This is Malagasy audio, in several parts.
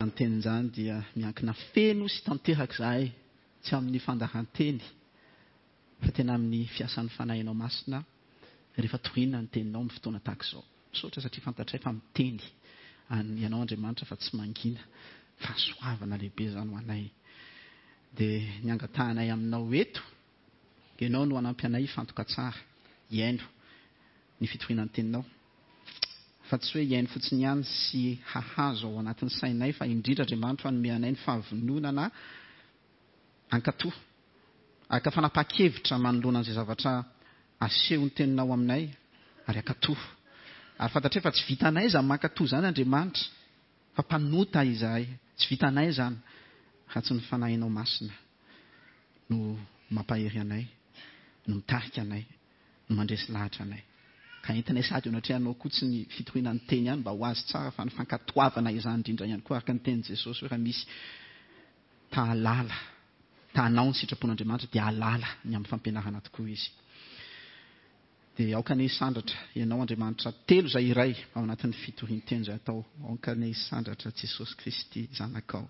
Izany teny izany dia miankina feno sy tanteraka izahay, tsy amin'ny fandahan-teny, fa tena amin'ny fiasan'ny Fanahinao Masina rehefa toriana ny teninao amin'ny fotoana tahaka izao. Misaotra satria fantatray fa miteny an Ianao Andriamanitra fa tsy mangina. Fahasoavana lehibe izany ho anay. Dia ny angatahanay aminao eto, Ianao no hanampy anay hifantoka tsara, hihaino ny fitoriana ny teninao. Fa tsy hoe hihaino fotsiny ihany sy hahazo ao anatin'ny sainay fa indrindra Andriamanitra hanome anay ny fahavononana hankatò, haka fanapahan-kevitra manoloana an'izay zavatra asehon'ny teninao aminay ary hankatò. Ary fantatray fa tsy vitanay izany mankatò izany Andriamanitra fa mpanota izahay, tsy vitanay izany raha tsy ny Fanahinao Masina no mampahery anay, no mitarika anay. no mandresy lahatra anay. Ka entinay sady eo anatrehanao koa tsy ny fitoriana ny teny ihany mba ho azo tsara fa ny fankatoavana izany indrindra ihany koa araka ny tenin'i Jesosy hoe raha misy ta hahalala, ta hanao ny sitrapon'Andriamanitra dia hahalala ny amin'ny fampianarana tokoa izy. Dia aoka anie hisandratra Ianao Andriamanitra telo izay iray ao anatin'ny fitorian-teny izay atao. Aoka anie hisandratra Jesosy Kristy Zanakao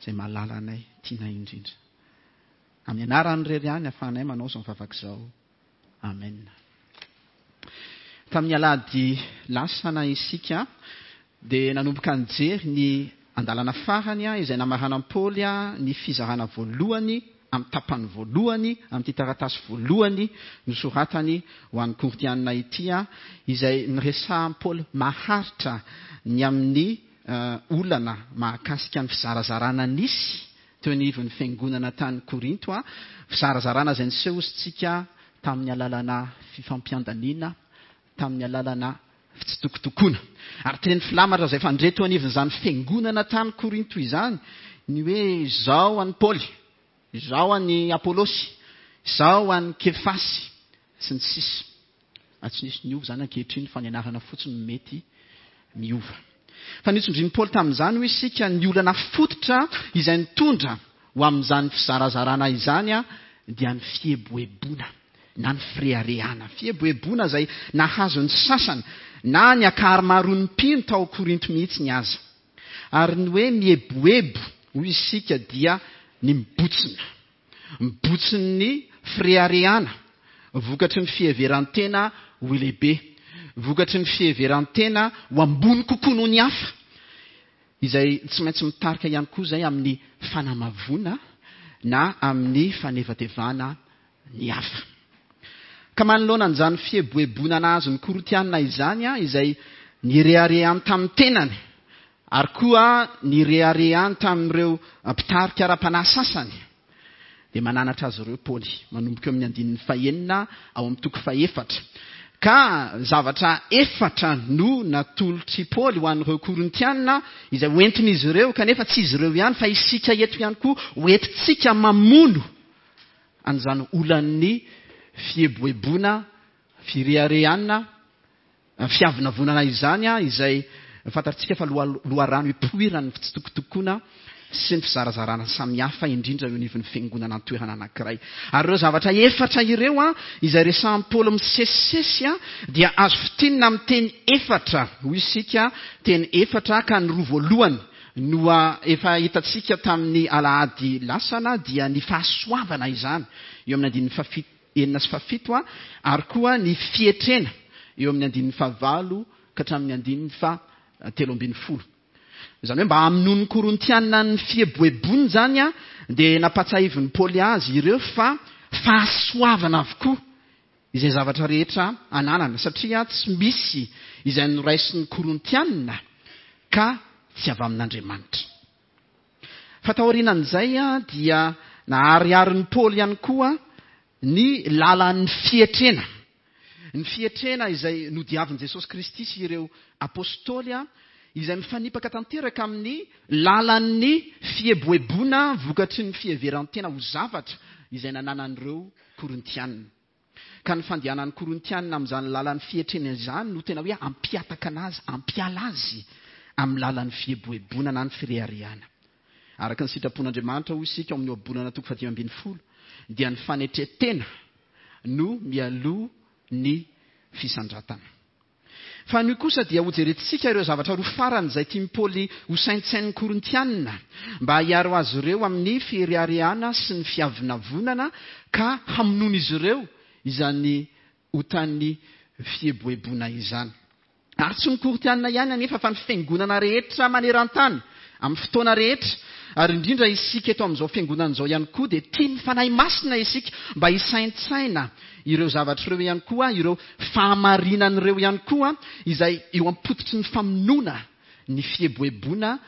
izay mahalala anay, tianay indrindra. Amin'ny anarany irery ihany ahafahanay manao izao vavaka izao. Amen. Tamin'ny alahady lasana isika dia nanomboka nijery ny andalana farany izay namaranan'i Paoly ny fizarana voalohany amin'ny tapany voalohany amin'ity taratasy voalohany nosoratany ho an'ny Korintianina ity izay niresahan'i Paoly maharitra ny amin'ny olana mahakasika ny fizarazarana nisy teo anivon'ny fiangonana tany Korinto, fizarazarana izay niseho hosintsika tamin'ny alalana fifampiandaniana, tamin'ny alalana fitsitokotokoana. Ary teny filamatra izay fandre teo anivon'izany fiangonana tany Korinto izany ny hoe izao an'i Paoly, izao an'i Apolosy, izao an'i Kefasy, sy ny sisa. Ary tsy nisy niova izany ankehitriny fa ny anarana fotsiny no mety miova. Fa notsindrin'i Paoly tamin'izany hoy isika ny olana fototra izay nitondra ho amin'izany fizarazarana izany dia ny fieboeboana na ny fireharehana. Fieboeboana izay nahazo ny sasany na ny ankaharimaroan'ny mpino tao Korinto mihitsy aza. Ary ny hoe mieboebo hoy isika dia ny mibotsina. Mibotsin'ny fireharehana vokatry ny fiheveran-tena ho lehibe, vokatry ny fiheveran-tena ho ambony kokoa noho ny hafa, izay tsy maintsy mitarika ihany koa izay amin'ny fanamavoana na amin'ny fanevatevana ny hafa. Ka manoloana an'izany fieboeboana nahazo ny Korintiana izany, izay nireharehany tamin'ny tenany, ary koa nireharehany tamin'ireo mpitarika ara-panahy sasany, dia mananatra azy ireo Paoly, manomboka eo amin'ny andininy fahenina ao amin'ny toko fahefatra. Ka zavatra efatra no natolotr'i Paoly ho an'ireo Korintiana izay hoentin'izy ireo, kanefa tsy izy ireo ihany fa isika eto ihany koa hoentintsika mamono an'izany olan'ny fieboeboana, fireharehana, Fiavonavonana izany izay fantatsika fa loharano ipoiran'ny fitsitokotokoana sy ny fizarazarana samihafa indrindra eo anivon'ny fiangonana an-toerana anankiray. Ary ireo zavatra efatra ireo izay resahin'i Paoly misesisesy dia azo fintinina amin'ny teny efatra, hoy isika, teny efatra ka ny roa voalohany no efa hitantsika tamin'ny alahady lasana dia ny fahasoavana izany eo amin'ny andininy fahafito enina sy fahafito ary koa ny fietrena eo amin'ny andininy fahavalo ka hatramin'ny andininy faha 13. Izany hoe mba hamonoan'ny Korintiana ny fieboeboany izany dia nampahatsiahivin'i Paoly azy ireo fa fahasoavana avokoa izay zavatra rehetra ananana satria tsy misy izay noraisin'ny Korintiana ka tsy avy amin'Andriamanitra. Fa taorianan'izay dia nahariharin'i Paoly ihany koa ny lalan'ny fietrena. Ny fietrena izay nodiavin'i Jesosy Kristy sy ireo Apostoly, izay mifanipaka tanteraka amin'ny lalan'ny fieboeboana vokatry ny fiheveran-tena ho zavatra izay nananan'ireo Korintiana. Ka ny fandehanan'ny Korintiana amin'izany lalan'ny fietrena izany no tena hoe hampihataka azy, hampiala azy amin'ny lalan'ny fieboeboana na ny fireharehana. Araka ny sitrapon'Andriamanitra, hoy isika ao amin'ny Ohabolana toko faha-15, dia ny fanetren-tena no mialoha ny fisandratana. Fa anio kosa dia hojerentsika ireo zavatra roa farany izay tian'i Paoly hosaintsainin'ny Korintianina mba hiaro azy ireo amin'ny fireharehana sy ny fiavonavonana ka hamonoan'izy ireo izany otan'ny fieboeboana izany. Ary tsy ny Korintianina ihany anefa fa ny fiangonana rehetra maneran-tany, amin'ny fotoana rehetra, ary indrindra isika eto amin'izao fiangonana izao ihany koa dia tian'ny Fanahy Masina isika mba hisaintsaina ireo zavatra ireo ihany koa, ireo fahamarinana ireo ihany koa izay eo am-pototry ny famonoana ny fieboeboana,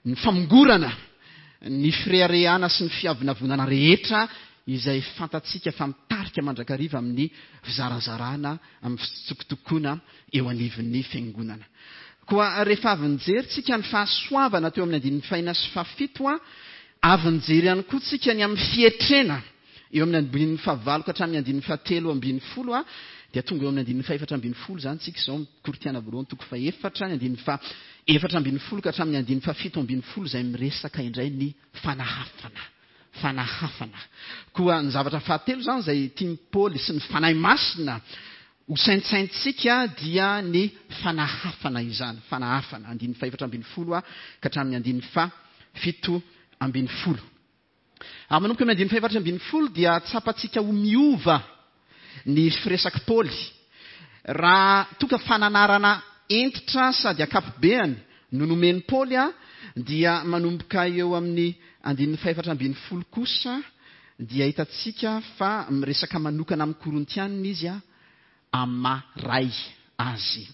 ny famongorana, ny fireharehana sy ny fiavonavonana rehetra izay fantatsika fa mitarika mandrakariva amin'ny fizarazarana, amin'ny fitsokotokoana eo anivon'ny fiangonana. Koa rehefa avy nijery tsika ny fahasoavana teo amin'ny andininy fahina sy fahafito, avy nijery ihany koa tsika ny amin'ny fietrena eo amin'ny andininy fahavalo ka hatramin'ny andininy fahatelo ambin'ny folo, dia tonga eo amin'ny andininy fahefatra ambin'ny folo izany tsika izao, Korintiana voalohany toko fahefatra, ny andininy faha efatra ambin'ny folo ka hatramin'ny andininy fahafito ambin'ny folo izay miresaka indray ny fanahafana. Fanahafana. Koa ny zavatra fahatelo izany izay tian'i Paoly sy ny Fanahy Masina ho saintsaintsika dia ny fanahafana izany. Fanahafana. Andininy fahefatra ambin'ny folo ka hatramin'ny andininy faha-17. Ary manomboka amin'ny andininy faha-14 dia tsapantsika ho miova ny firesak'i Paoly. Raha toa ka fananarana hentitra sady ankapobeany no nomen'i Paoly dia manomboka eo amin'ny andininy faha-14 kosa dia hitantsika fa miresaka manokana amin'ny Korintianina izy amin'ny maha ray azy.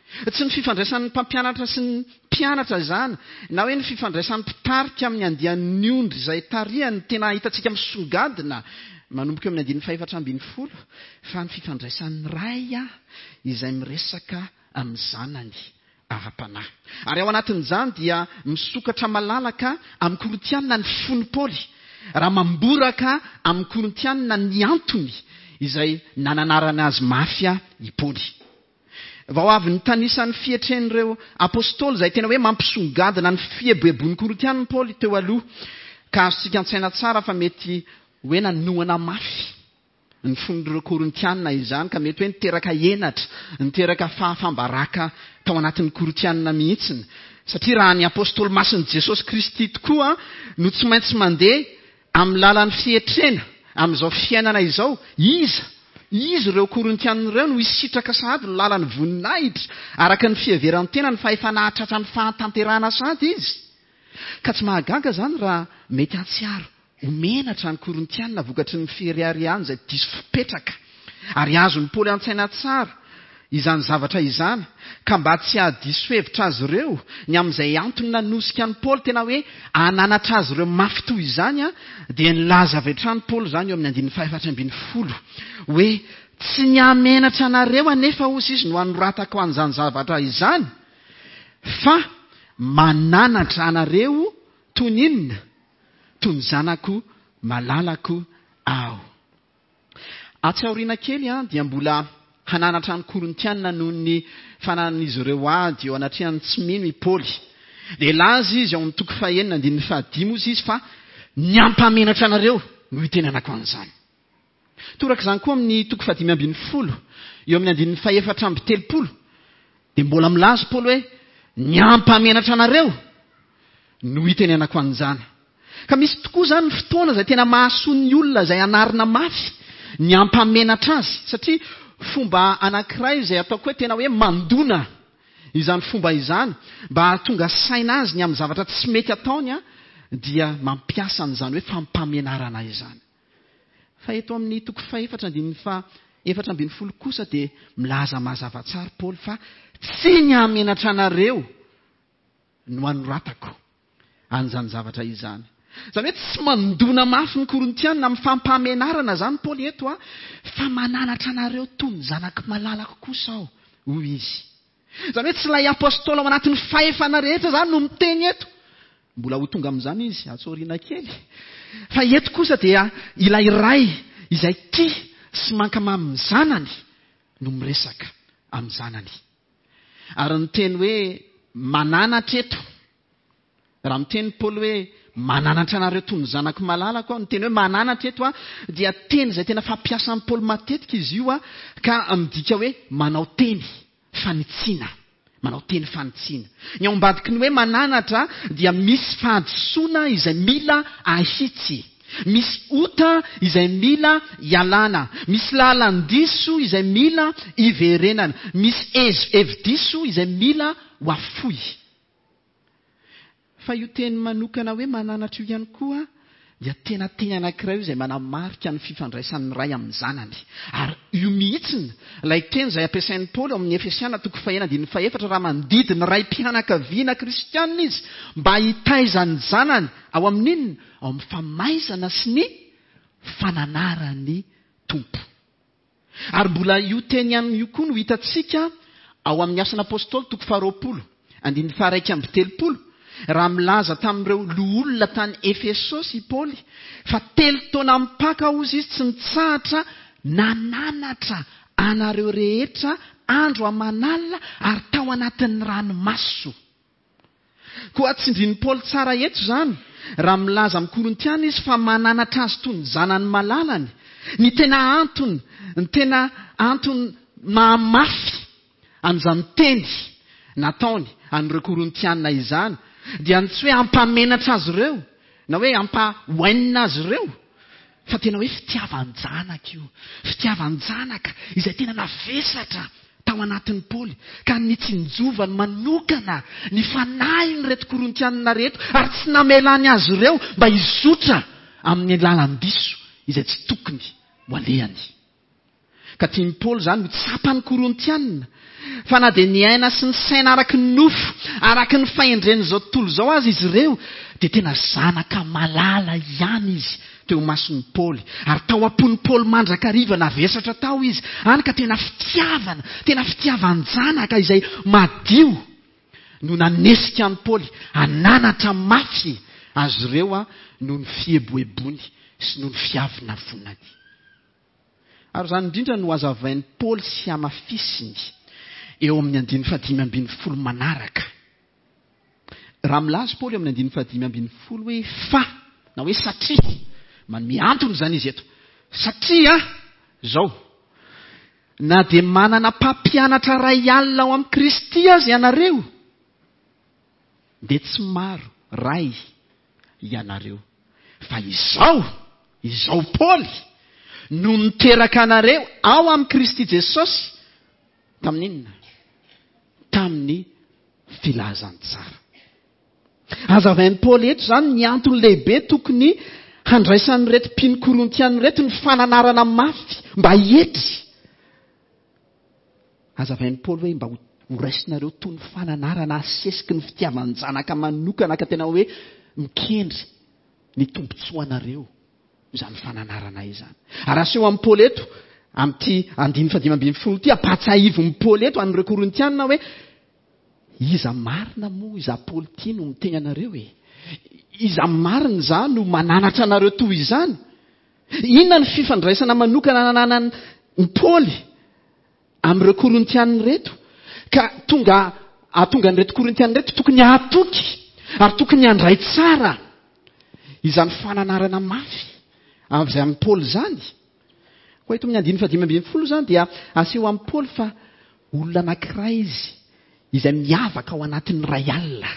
Tsy ny fifandraisan'ny mpampianatra sy ny mpianatra izany, na hoe ny fifandraisan'ny mpitarika amin'ny andian'ny ondry izay tarihany no tena hitantsika misongadina manomboka eo amin'ny andininy faha-14, fa ny fifandraisan'ny ray izay miresaka amin'ny zanany ara-panahy. Ary ao anatin'izany dia misokatra malalaka amin'ny Korintiana ny fon'i Paoly, raha mamboraka amin'ny Korintiana ny antony izay nananarany azy mafy i Paoly. Vao avy nitanisa ny fietren'ireo apostoly izay tena hoe mampisongadina ny fieboeboan'ny Korintiana Paoly teo aloha, ka azontsika an-tsaina tsara fa mety hoe nanohana mafy ny fon'ireo Korintiana izany, ka mety hoe niteraka henatra, niteraka fahafam-baraka tao anatin'ny Korintiana mihitsy. Satria raha ny apostoly masin'i Jesosy Kristy tokoa no tsy maintsy mandeha Amin'ny lalan'ny fietrena amin'izao fiainana izao, iza, iza ireo Korintiana ireo no hisitraka sahady ny lalan'ny voninahitra araka ny fiheveran-tenany fa efa nahatratra ny fahatanterahana sahady izy? Ka tsy mahagaga izany raha mety hahatsiaro ho menatra ny Korintiana vokatry ny fireharehany izay diso fipetraka. Ary azon'i Paoly an-tsaina tsara izany zavatra izany, ka mba tsy hahadiso hevitra azy ireo ny amin'izay antony nanosika an'i Paoly tena hoe hananatra azy ireo mafy toy izany, dia nilaza avy hatrany Paoly izany eo amin'ny andininy fahefatra ambin'ny folo hoe, Tsy ny hahamenatra anareo anefa, hozy izy, no anoratako an'izany zavatra izany, fa mananatra anareo toy ny inona? Toy ny zanako malalako aho. Atsy aoriana kely dia mbola hananatra ny Korintiana noho ny fananan'izy ireo ady eo anatrehan'ny tsy mino i Paoly. Dia hilaza izy ao amin'ny toko fahenina andininy fahadimy hozy izy fa ny hampamenatra anareo no itenenako an'izany. Toraka izany koa amin'ny toko faha-15 eo amin'ny andininy faha-34 dia mbola milaza Paoly hoe ny hampamenatra anareo no itenenako an'izany. Ka misy tokoa izany ny fotoana izay tena mahasoa ny olona izay anarina mafy ny hampamenatra azy, satria fomba anankiray izay ataoko hoe tena hoe mandona izany fomba izany mba hahatonga saina azy ny amin'ny zavatra tsy mety ataony dia mampiasa an'izany hoe fampamenarana izany. Fa eto amin'ny toko fahefatra andininy faha 14 kosa dia milaza mazava tsara Paoly fa tsy ny hamenatra anareo no anoratako an'izany zavatra izany. Izany hoe tsy mandona mafy ny Korintiana amin'ny fampahamenarana izany Paoly eto, fa mananatra anareo toy ny zanako malalako kosa aho, hoy izy. Izany hoe tsy ilay apostoly ao anatin'ny fahefana rehetra izany no miteny eto. Mbola ho tonga amin'izany izy atsy aoriana kely. Fa eto kosa dia ilay ray izay tia sy mankamamy ny zanany no miresaka amin'ny zanany. Ary ny teny hoe mananatra eto, raha miteny Paoly hoe mananatra anareo toy ny zanako malalako aho, ny teny hoe mananatra eto dia teny izay tena fampiasan'i Paoly matetika izy io ka midika hoe manao teny, fanitsiana. Manao teny fanitsiana. Ny ao ambadiky ny hoe mananatra dia misy fahadisoana izay mila ahitsy. Misy ota izay mila ialana. Misy lalan-diso izay mila iverenana. Misy hevi-diso izay mila ho afoy. Fa io teny manokana hoe mananatra io ihany koa dia tena teny anankiray io izay manamarika ny fifandraisan'ny Ray amin'ny Zanany. Ary io mihitsiny ilay teny izay ampiasain'i Paoly ao amin'ny Efesiana toko fahena andininy fahefatra raha mandidy ny raim-pianakaviana kristiana izy mba hitaiza ny zanany ao amin'inona? Ao amin'ny famaizana sy ny fananaran'ny Tompo. Ary mbola io teny ihany io koa no hitantsika ao amin'ny Asan'ny Apostoly toko faharoapolo, andininy faha-31, raha milaza tamin'ireo loholona tany Efesosy i Paoly fa telo taona mipaka hozy izy tsy nitsahatra nananatra anareo rehetra andro aman'alina ary tao anatin'ny ranomaso. Koa tsindrin'i Paoly tsara eto izany, raha milaza amin'ny Korintiana izy fa mananatra azy toy ny zanany malalany. Ny tena antony, ny tena antony mahamafy an'izany teny nataony an'ireo Korintiana izany, dia ny tsy hoe hampamenatra azy ireo, na hoe hampahoainina azy ireo, fa tena hoe fitiavan-janaka io. Fitiavan-janaka izay tena navesatra tao anatin'i Paoly, ka nitsinjovany manokana ny fanahin'ireto Korintianina ireto ary tsy namelany azy ireo mba hizotra amin'ny lalan-diso izay tsy tokony ho alehany. Ka tian'i Paoly izany ho tsapan'ny Korintianina fa na dia niaina sy nisaina araka ny nofo, araka ny fahendren'izao tontolo izao aza izy ireo, dia tena zanaka malala ihany izy teo imason'i Paoly, ary tao am-pon'i Paoly mandrakariva navesatra tao izy, hany ka tena fitiavana, tena fitiavan-janaka izay madio no nanesika an'i Paoly hananatra mafy azy ireo noho ny fieboeboany sy noho ny fiavonavonany. Ary izany indrindra no hazavain'i Paoly sy hamafisiny eo amin'ny andininy fahadimy ambin'ny folo manaraka. Raha milaza Paoly eo amin'ny andininy fahadimy ambin'ny folo hoe fa, na hoe satria, manome antony izany izy eto, satria izao, na dia manana mpampianatra iray alina ao amin'i Kristy aza ianareo, dia tsy maro ray ianareo. Fa izao, izao Paoly, no niteraka anareo ao amin'i Kristy Jesosy, tamin'inona? Tamin'ny filazantsara. Hazavain'i Paoly eto izany ny antony lehibe tokony handraisan'ireto mpino Korintiana ireto ny fananarana mafy mba hietry. Hazavain'i Paoly hoe mba ho raisinareo toy ny fananarana asesiky ny fitiavan-janaka manokana ka tena hoe mikendry ny tombontsoanareo izany fananarana izany. Ary aseho amin'i Paoly eto, amin'ity andininy fahadimy ambin'ny folo ity, ampahatsiahivin'i Paoly eto an'ireo Korintiana hoe Iza marina moa izaho Paoly ity no miteny anareo e? Iza marina izaho no mananatra anareo toy izany? Inona ny fifandraisana manokana ananan'i Paoly amin'ireo Korintiana ireto ka tonga ahatonga an'ireto Korintiana ireto tokony hahatoky ary tokony handray tsara izany fananarana mafy avy amin'i Paoly izany? Koa eto amin'ny andininy fahadimy ambin'ny folo izany dia aseho amin'i Paoly fa olona anankiray izy izay miavaka ao anatin'ny iray alina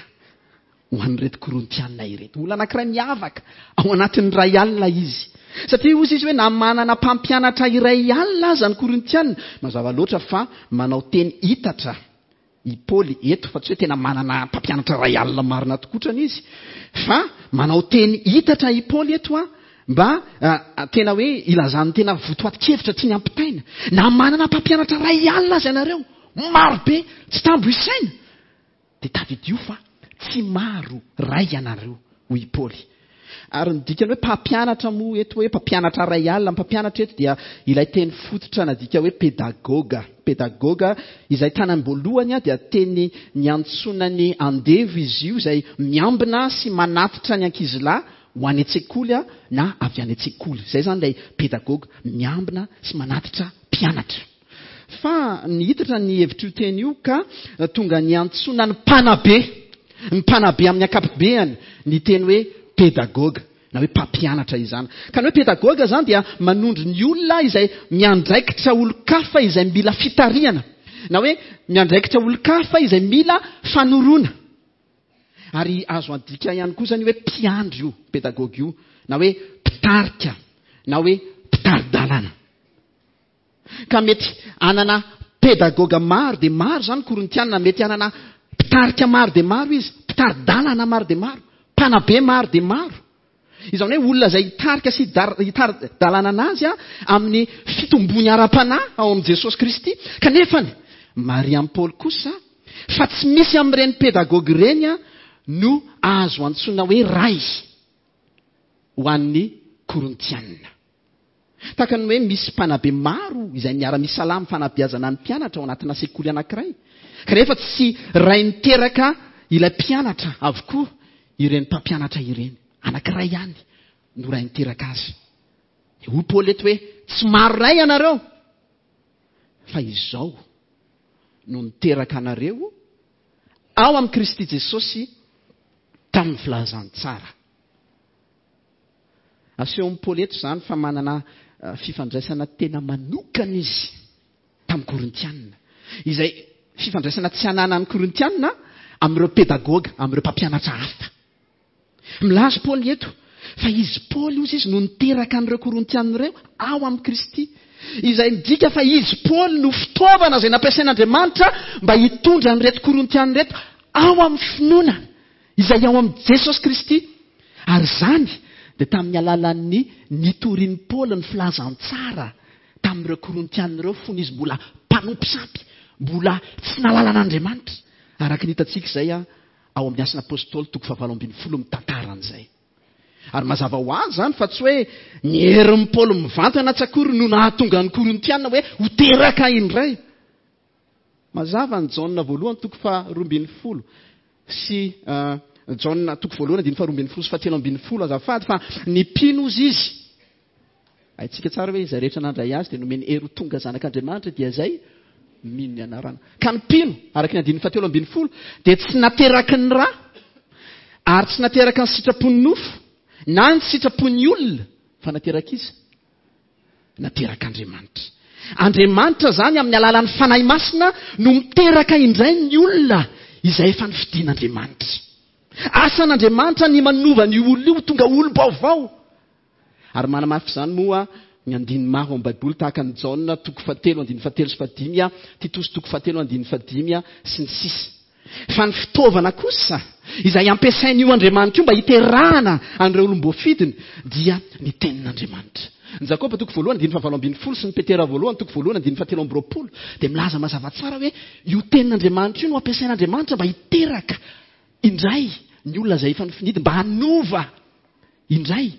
ho an'ireto Korintiana ireto. Olona anankiray miavaka ao anatin'ny iray alina izy. Satria hozy izy hoe na manana mpampianatra iray alina aza ny Korintiana, mazava loatra fa manao teny hitatra i Paoly eto fa tsy hoe tena manana mpampianatra iray alina marina tokotrany izy fa manao teny hitatra i Paoly eto a mba tena hoe ilazan'ny tena votoatin-kevitra tiany ampitaina. Na manana mpampianatra iray alina aza ianareo, maro be, tsy tambo isaina, dia tadidio fa tsy maro ray ianareo, hoy i Paoly. Ary ny dikany hoe mpampianatra moa eto hoe mpampianatra iray alina, ny mpampianatra eto dia ilay teny fototra nadika hoe pedagoga. Pedagoga izay tany am-boalohany dia teny niantsoana ny andevo izy io izay miambina sy manatitra ny ankizilahy ho any an-tsekoly na avy any an-tsekoly. Izay izany ilay pedagoga, miambina sy manatitra mpianatra. Fa nihitatra ny hevitr'io teny io ka tonga niantsoana ny mpanabe, ny mpanabe amin'ny ankapobeany ny teny hoe pedagoga na hoe mpampianatra izany. Ka ny hoe pedagoga izany dia manondro ny olona izay miandraikitra olon-kafa izay mila fitarihana. Na hoe miandraikitra olon-kafa izay mila fanoroana. Ary azo adika ihany koa izany hoe mpiandry io pedagogy io, na hoe mpitarika, na hoe mpitari-dalana. Ka mety hanana pedagoga maro dia maro izany Korintiana, mety hanana mpitarika maro dia maro izy, mpitari-dalana maro dia maro, mpanabe maro dia maro. Izany hoe olona izay hitarika sy hitari-dalana anazy amin'ny fitombony ara-panahy ao amin'i Jesosy Kristy. Kanefa marihan'i Paoly kosa fa tsy misy amin'ireny pedagogy ireny no azo antsoina hoe ray ho an'ny Korintiana. Tahaka ny hoe misy mpanabe maro izay miara-misalahy amin'ny fanabeazana ny mpianatra ao anatina sekoly anankiray, kanefa tsy ray niteraka ilay mpianatra avokoa ireny mpampianatra ireny. Anankiray ihany no ray niteraka azy. Dia hoy Paoly eto hoe, tsy maro ray ianareo, fa izao no niteraka anareo ao amin'i Kristy Jesosy tamin'ny filazantsara. Asehon'i Paoly eto izany fa manana fifandraisana tena manokana izy tamin'ny Korintiana, izay fifandraisana tsy ananan'ny Korintiana amin'ireo pedagoga, amin'ireo mpampianatra hafa. Milaza Paoly eto fa izy Paoly hozy izy no niteraka an'ireo Korintiana ireo ao amin'i Kristy, izay midika fa izy Paoly no fitaovana izay nampiasain'Andriamanitra mba hitondra an'ireto Korintiana ireto ao amin'ny finoana izay ao amin'i Jesosy Kristy. Ary izany dia tamin'ny alalan'ny nitorian'i Paoly ny filazantsara tamin'ireo Korintiana ireo fony izy mbola mpanompo sampy, mbola tsy nahalala an'Andriamanitra, araka ny hitantsika izay ao amin'ny Asan'ny Apostoly toko fahavalo ambin'ny folo mitantara an'izay. Ary mazava ho azy izany fa tsy hoe ny herin'i Paoly mivantana tsy akory no nahatonga ny Korintiana hoe ho teraka indray. Mazava ny Jaona voalohany toko faha 12 sy Jaona toko voalohany andininy faha 12 sy faha 13 azafady fa ny mpino ozy izy. Haintsika tsara hoe izay rehetra nandray azy dia nomeny hery ho tonga zanak'Andriamanitra dia izay mino ny anarana. Ka ny mpino, araka ny andininy faha 13, dia tsy nateraky ny ra ary tsy nateraka ny sitrapon'ny nofo na ny sitrapon'ny olona fa nateraka iza? Naterak'Andriamanitra. Andriamanitra izany amin'ny alalan'ny Fanahy Masina no miteraka indray ny olona izay efa nofidin'Andriamanitra. Asan'Andriamanitra ny manova an'io olona io ho tonga olom-baovao. Ary manamafy izany moa ny andininy maro ao amin'ny Baiboly tahaka an'i Jaona toko fahatelo andininy fahatelo sy fahadimy, Titosy toko fahatelo andininy fahadimy sy ny sisa. Fa ny fitaovana kosa izay ampiasain'io Andriamanitra io mba hiterahana an'ireo olom-boafidiny dia ny Tenin'Andriamanitra. Ny Jakoba toko voalohany andininy fahavalo ambin'ny folo sy ny Petera voalohany toko voalohany andininy fahatelo amby roapolo dia milaza mazava tsara hoe io Tenin'Andriamanitra io no ampiasain'Andriamanitra mba hiteraka indray ny olona izay efa nofinidiny, mba hanova indray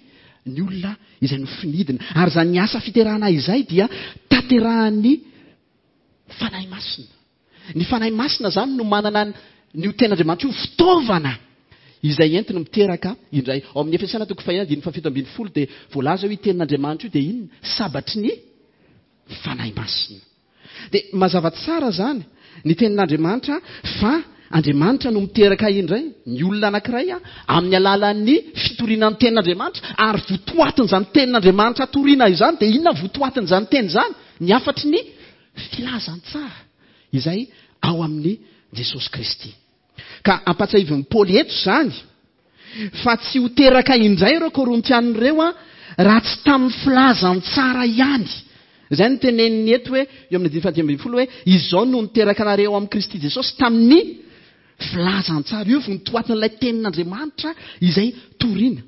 ny olona izay nofinidina. Ary izany asa fiterahana izay dia tanterahan'ny Fanahy Masina. Ny Fanahy Masina izany no manana an'io Tenin'Andriamanitra io fitaovana izay entiny miteraka indray. Ao amin'ny Efesiana toko fahenina andininy fahafito ambin'ny folo dia voalaza hoe io Tenin'Andriamanitra io dia inona? Sabatry ny Fanahy Masina. Dia mazava tsara izany ny Tenin'Andriamanitra fa Andriamanitra no miteraka indray ny olona anankiray amin'ny alalan'ny fitoriana ny Tenin'Andriamanitra, ary votoatin'izany Tenin'Andriamanitra toriana izany dia inona votoatin'izany teny izany? Ny hafatry ny filazantsara izay ao amin'i Jesosy Kristy. Ka ampatsiahivin'i Paoly eto izany fa tsy ho teraka indray ireo Korintiana ireo raha tsy tamin'ny filazantsara ihany. Izay no teneniny eto hoe eo amin'ny andininy faha 15 hoe izao no niteraka anareo ao amin'i Kristy Jesosy tamin'ny filazantsara. Io vontoatin'ilay tenin'Andriamanitra izay torina.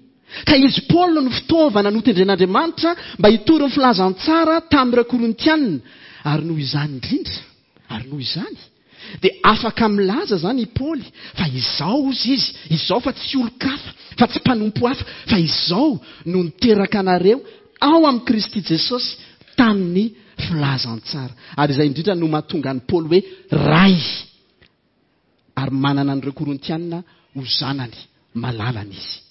Ka izy Paoly no fitaovana notendren'Andriamanitra mba hitory ny filazantsara tamin'ireo Korintiana, ary noho izany indrindra, ary noho izany, dia afaka milaza izany i Paoly fa izao hozy izy, izao fa tsy olon-kafa, fa tsy mpanompo hafa, fa izao no niteraka anareo ao amin'i Kristy Jesosy tamin'ny filazantsara. Ary izay indrindra no mahatonga an'i Paoly hoe Ray, ary manana an'ireo Korintiana ho zanany malalany izy.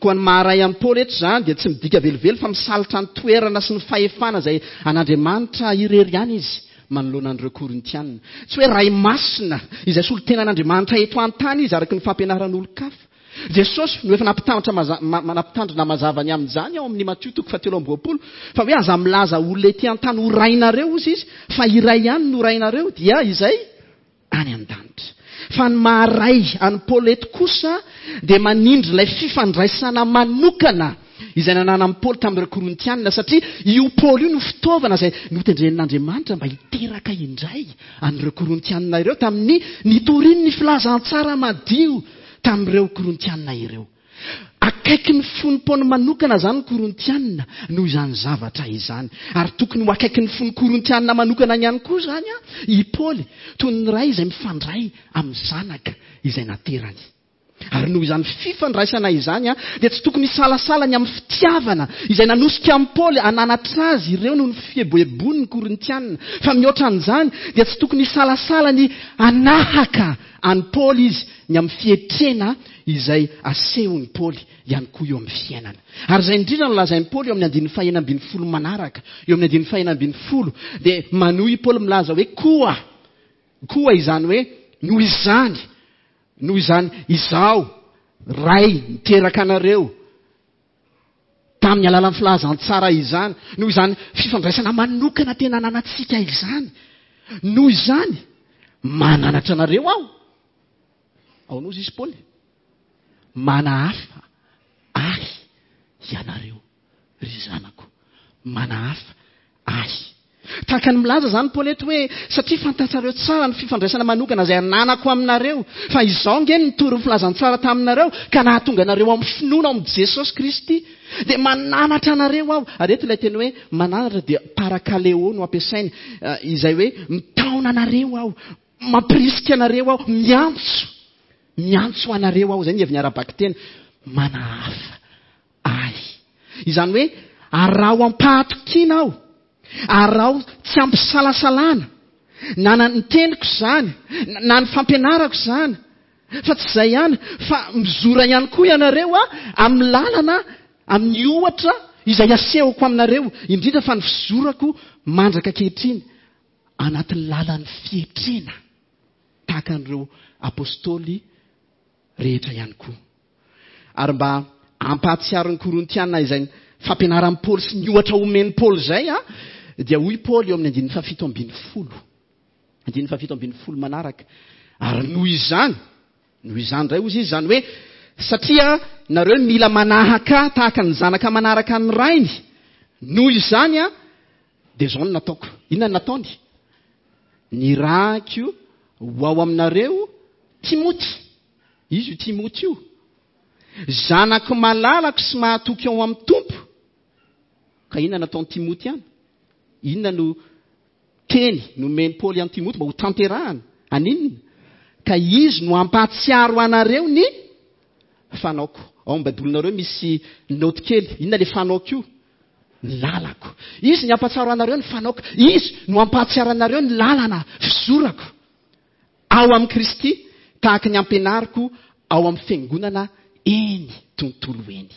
Koa ny maha-ray an'i Paoly eto izany dia tsy midika velively fa misalotra ny toerana sy ny fahefana izay an'Andriamanitra irery ihany izy manoloana an'ireo Korintiana. Tsy hoe Ray masina izay solontenan'Andriamanitra eto an-tany izy araka ny fampianaran'olon-kafa. Jesosy no efa nampitandrina maza, nampitandrina mazava ny amin'izany ao amin'ny Matio toko fahatelo amby 20, fa hoe aza milaza olona ety an-tany ho rainareo hozy izy, fa iray ihany no rainareo, dia izay any an-danitra. Fa ny maha-ray an'i Paoly eto kosa dia manindry ilay fifandraisana manokana izay nananan'i Paoly tamin'ireo Korintianina, satria io Paoly io no fitaovana izay notendren'Andriamanitra mba hiteraka indray an'ireo Korintianina ireo tamin'ny nitoriany ny filazantsara madio tamin'ireo Korintianina ireo. Akaiky ny fon'i Paoly manokana izany ny Korintianina noho izany zavatra izany. Ary tokony ho akaiky ny fon'ny Korintianina manokana ihany koa izany i Paoly, toy ny ray izay mifandray amin'ny zanaka izay naterany. Ary noho izany fifandraisana izany, dia tsy tokony hisalasala ny amin'ny fitiavana izay nanosika an'i Paoly hananatra azy ireo noho ny fieboeboany ny Korintianina. Fa mihoatra an'izany, dia tsy tokony hisalasala ny hanahaka an'i Paoly izy ny amin'ny fietrena izay asehon'i Paoly ihany koa eo amin'ny fiainana. Ary izay indrindra no lazain'i Paoly eo amin'ny andininy fahenina ambin'ny folo manaraka. Eo amin'ny andininy fahenina ambin'ny folo dia manohy i Paoly milaza hoe koa, koa izany hoe noho izany, noho izany izaho, Ray niteraka anareo, tamin'ny alalan'ny filazantsara izany, noho izany fifandraisana manokana tena ananantsika izany, noho izany mananatra anareo aho. Ahoana hozy izy Paoly? Manahafa ahy ianareo, ry zanako. Manahafa ahy. Tahaka ny milaza izany Paoly eto hoe, satria fantatrareo tsara ny fifandraisana manokana izay ananako aminareo, fa izaho ange no nitory ny filazantsara taminareo ka nahatonga anareo amin'ny finoana ao amin'i Jesosy Kristy. Dia mananatra anareo aho. Ary eto ilay teny hoe mananatra dia parakaleo no ampiasainy, izay hoe mitaona anareo aho, Mampirisika anareo aho, miantso, miantso anareo aho, izay ny heviny ara-bakiteny, manahafa ahy. Izany hoe, araho am-pahatokiana aho, araho tsy ampisalasalana, na ny teniko izany, na ny fampianarako izany, fa tsy izay ihany, fa mizora ihany koa ianareo amin'ny lalana, amin'ny ohatra izay asehoko aminareo, indrindra fa ny fizorako mandraka ankehitriny. anatin'ny lalan'ny fietrena tahaka an'ireo apostoly rehetra ihany koa. Ary mba hampahatsiaro ny Korintiana izay fampianaran'i Paoly sy ny ohatra omen'i Paoly izay, dia hoy Paoly eo amin'ny andininy fahafito ambin'ny folo. Andininy fahafito ambin'ny folo manaraka. Ary noho izany, noho izany indray hozy izy, izany hoe satria nareo mila manahaka tahaka ny zanaka manaraka ny rainy, noho izany Dia izao no nataoko. Inona no nataony? Nirahiko ho ao aminareo Timoty. Izy io Timoty io. Zanako malalako sy mahatoky ao amin'ny Tompo. Ka inona nataon'i Timoty any? Inona no teny nomen'i Paoly an'i Timoty mba ho tanterahana? Aninona? Ka izy no hampahatsiaro anareo ny fanaoko. Ao amin'ny Baibolinareo misy naoty kely. Inona ilay fanaoko io? Ny lalako. Izy ny hampahatsiaro anareo ny fanaoko. Izy no hampahatsiaro anareo ny lalana fizorako ao amin'i Kristy, tahaka ny ampianariko ao amin'ny fiangonana eny tontolo eny.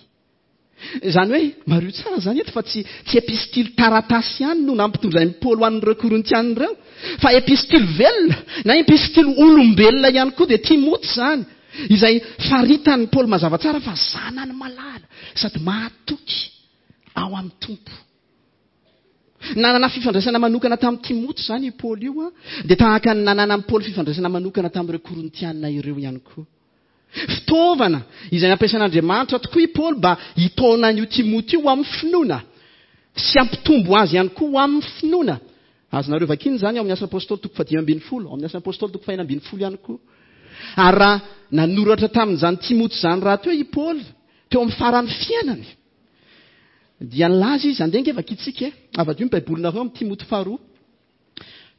Izany hoe, mariho tsara izany eto fa tsy tsy epistily taratasy ihany no nampitondrain'i Paoly ho an'ireo Korintiana ireo, fa epistily velona na epistily olombelona ihany koa dia Timoty izany, izay faritan'i Paoly mazava tsara fa zanany malala sady mahatoky ao amin'ny Tompo. Nanana fifandraisana manokana tamin'i Timoty izany i Paoly io, dia tahaka ny nananan'i Paoly fifandraisana manokana tamin'ireo Korintiana ireo ihany koa. Fitaovana izay nampiasain'Andriamanitra tokoa i Paoly mba hitaona an'io Timoty io ho amin'ny finoana sy hampitombo azy ihany koa ho amin'ny finoana. Azonareo vakiana izany ao amin'ny Asa Apostoly toko fahadimy ambin'ny folo, ao amin'ny Asa Apostoly toko fahenina ambin'ny folo ihany koa. Ary raha nanoratra tamin'izany Timoty izany rahateo i Paoly teo amin'ny faran'ny fiainany, dia nilaza izy, andeha ange vakintsika e, avadio ny Baibolinareo amin'ny Timoty faharoa,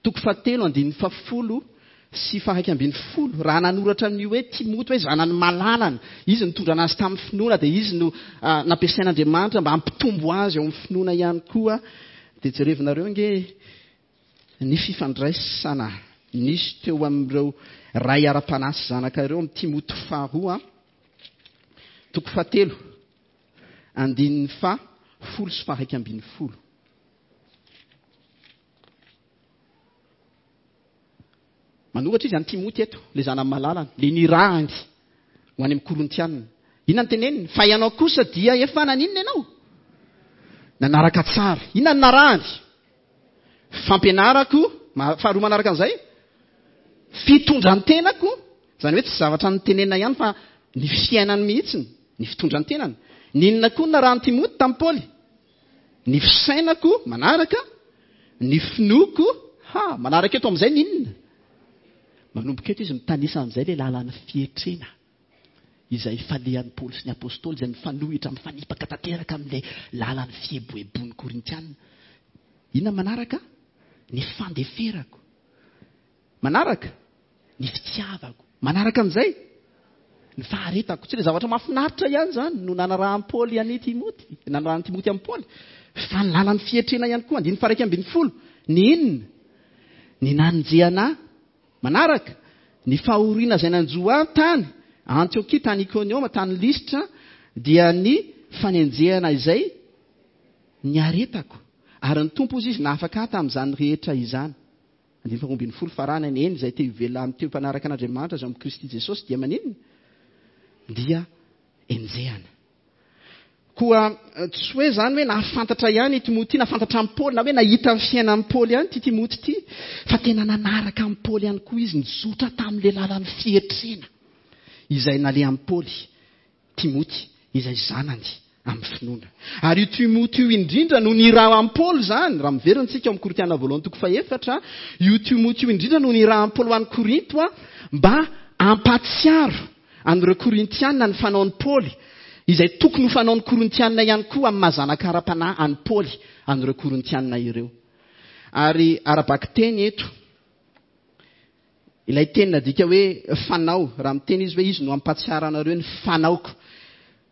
toko fahatelo andininy fahafolo sy faharaika ambin'ny folo, raha nanoratra an'io hoe Timoty hoe zanany malalany, izy nitondra anazy tamin'ny finoana, dia izy no nampiasain'Andriamanitra mba hampitombo azy ao amin'ny finoana ihany koa, dia jerevinareo ange ny fifandraisana nisy teo amin'ireo ray ara-panahy sy zanaka ireo amin'ny Timoty faharoa, toko fahatelo, andininy faha folo sy faharaika ambin'ny folo. Manoratra izy an'i Timoty eto, ilay zanany malalany, ilay nirahany. Ho any amin'ny Korintianina. Inona no teneniny? Fa ianao kosa dia efa naninona ianao? Nanaraka tsara. Inona no narahany? Fampianarako, faharoa manaraka an'izay, fitondran-tenako, izany hoe tsy zavatra notenenina ihany fa ny fiainany mihitsy, ny fitondran-tenany. N'inona koa no narahan'i Timoty tamin'i Paoly? Ny fisainako manaraka, ny finoako, ha, manaraka eto amin'izay ny inona? Manomboka eto izy mitanisa amin'izay ilay lalan'ny fietrena izay falehan'i Paoly sy ny Apostoly izay mifanohitra, mifanipaka tanteraka amin'ilay lalan'ny fieboeboan'ny Korintiana. Inona manaraka? Ny fandeferako. Manaraka? Ny fitiavako. Manaraka an'izay? Ny faharetako. Tsy ilay zavatra mahafinaritra ihany izany no nanarahan'i Paoly an'i Timoty, nanarahan'i Timoty an'i Paoly, fa ny lalan'ny fietrena ihany koa, andininy faha 11. Ny inona? Ny nanenjehana ahy. Manaraka, ny fahoriana izay nanjo ahy tany Antiokia, tany Ikonioma, tany Lystra, dia ny fanenjehana izay niaretako. Ary ny Tompo, hozy izy, nahafaka ahy tamin'izany rehetra izany. Andininy faharoa ambin'ny folo, Farany, eny, izay te hivelona amin'ny teo mpanaraka an'Andriamanitra izay ao amin'i Kristy Jesosy dia maninona? Dia enjehana. Koa tsy hoe izany hoe nahafantatra ihany i Timoty, nahafantatra an'i Paoly, na hoe nahita ny fiainan'i Paoly ihany ity Timoty ity, fa tena nanaraka an'i Paoly ihany koa izy, nizotra tamin'ilay lalan'ny fietrena izay nalehan'i Paoly, Timoty, izay zanany amin'ny finoana. Ary io Timoty io indrindra no nirahan'i Paoly izany, raha miverina isika ao amin'ny Korintiana voalohany toko fahefatra, io Timoty io indrindra no nirahan'i Paoly ho any Korinto mba hampahatsiaro an'ireo Korintiana ny fanaon'i Paoly, izay tokony ho fanaon'ny Korintiana ihany koa amin'ny maha zanaka ara-panahy an'i Paoly an'ireo Korintiana ireo. Ary ara-bakiteny eto, ilay teny nadika hoe fanao, raha miteny izy hoe izy no hampahatsiaro anareo ny fanaoko.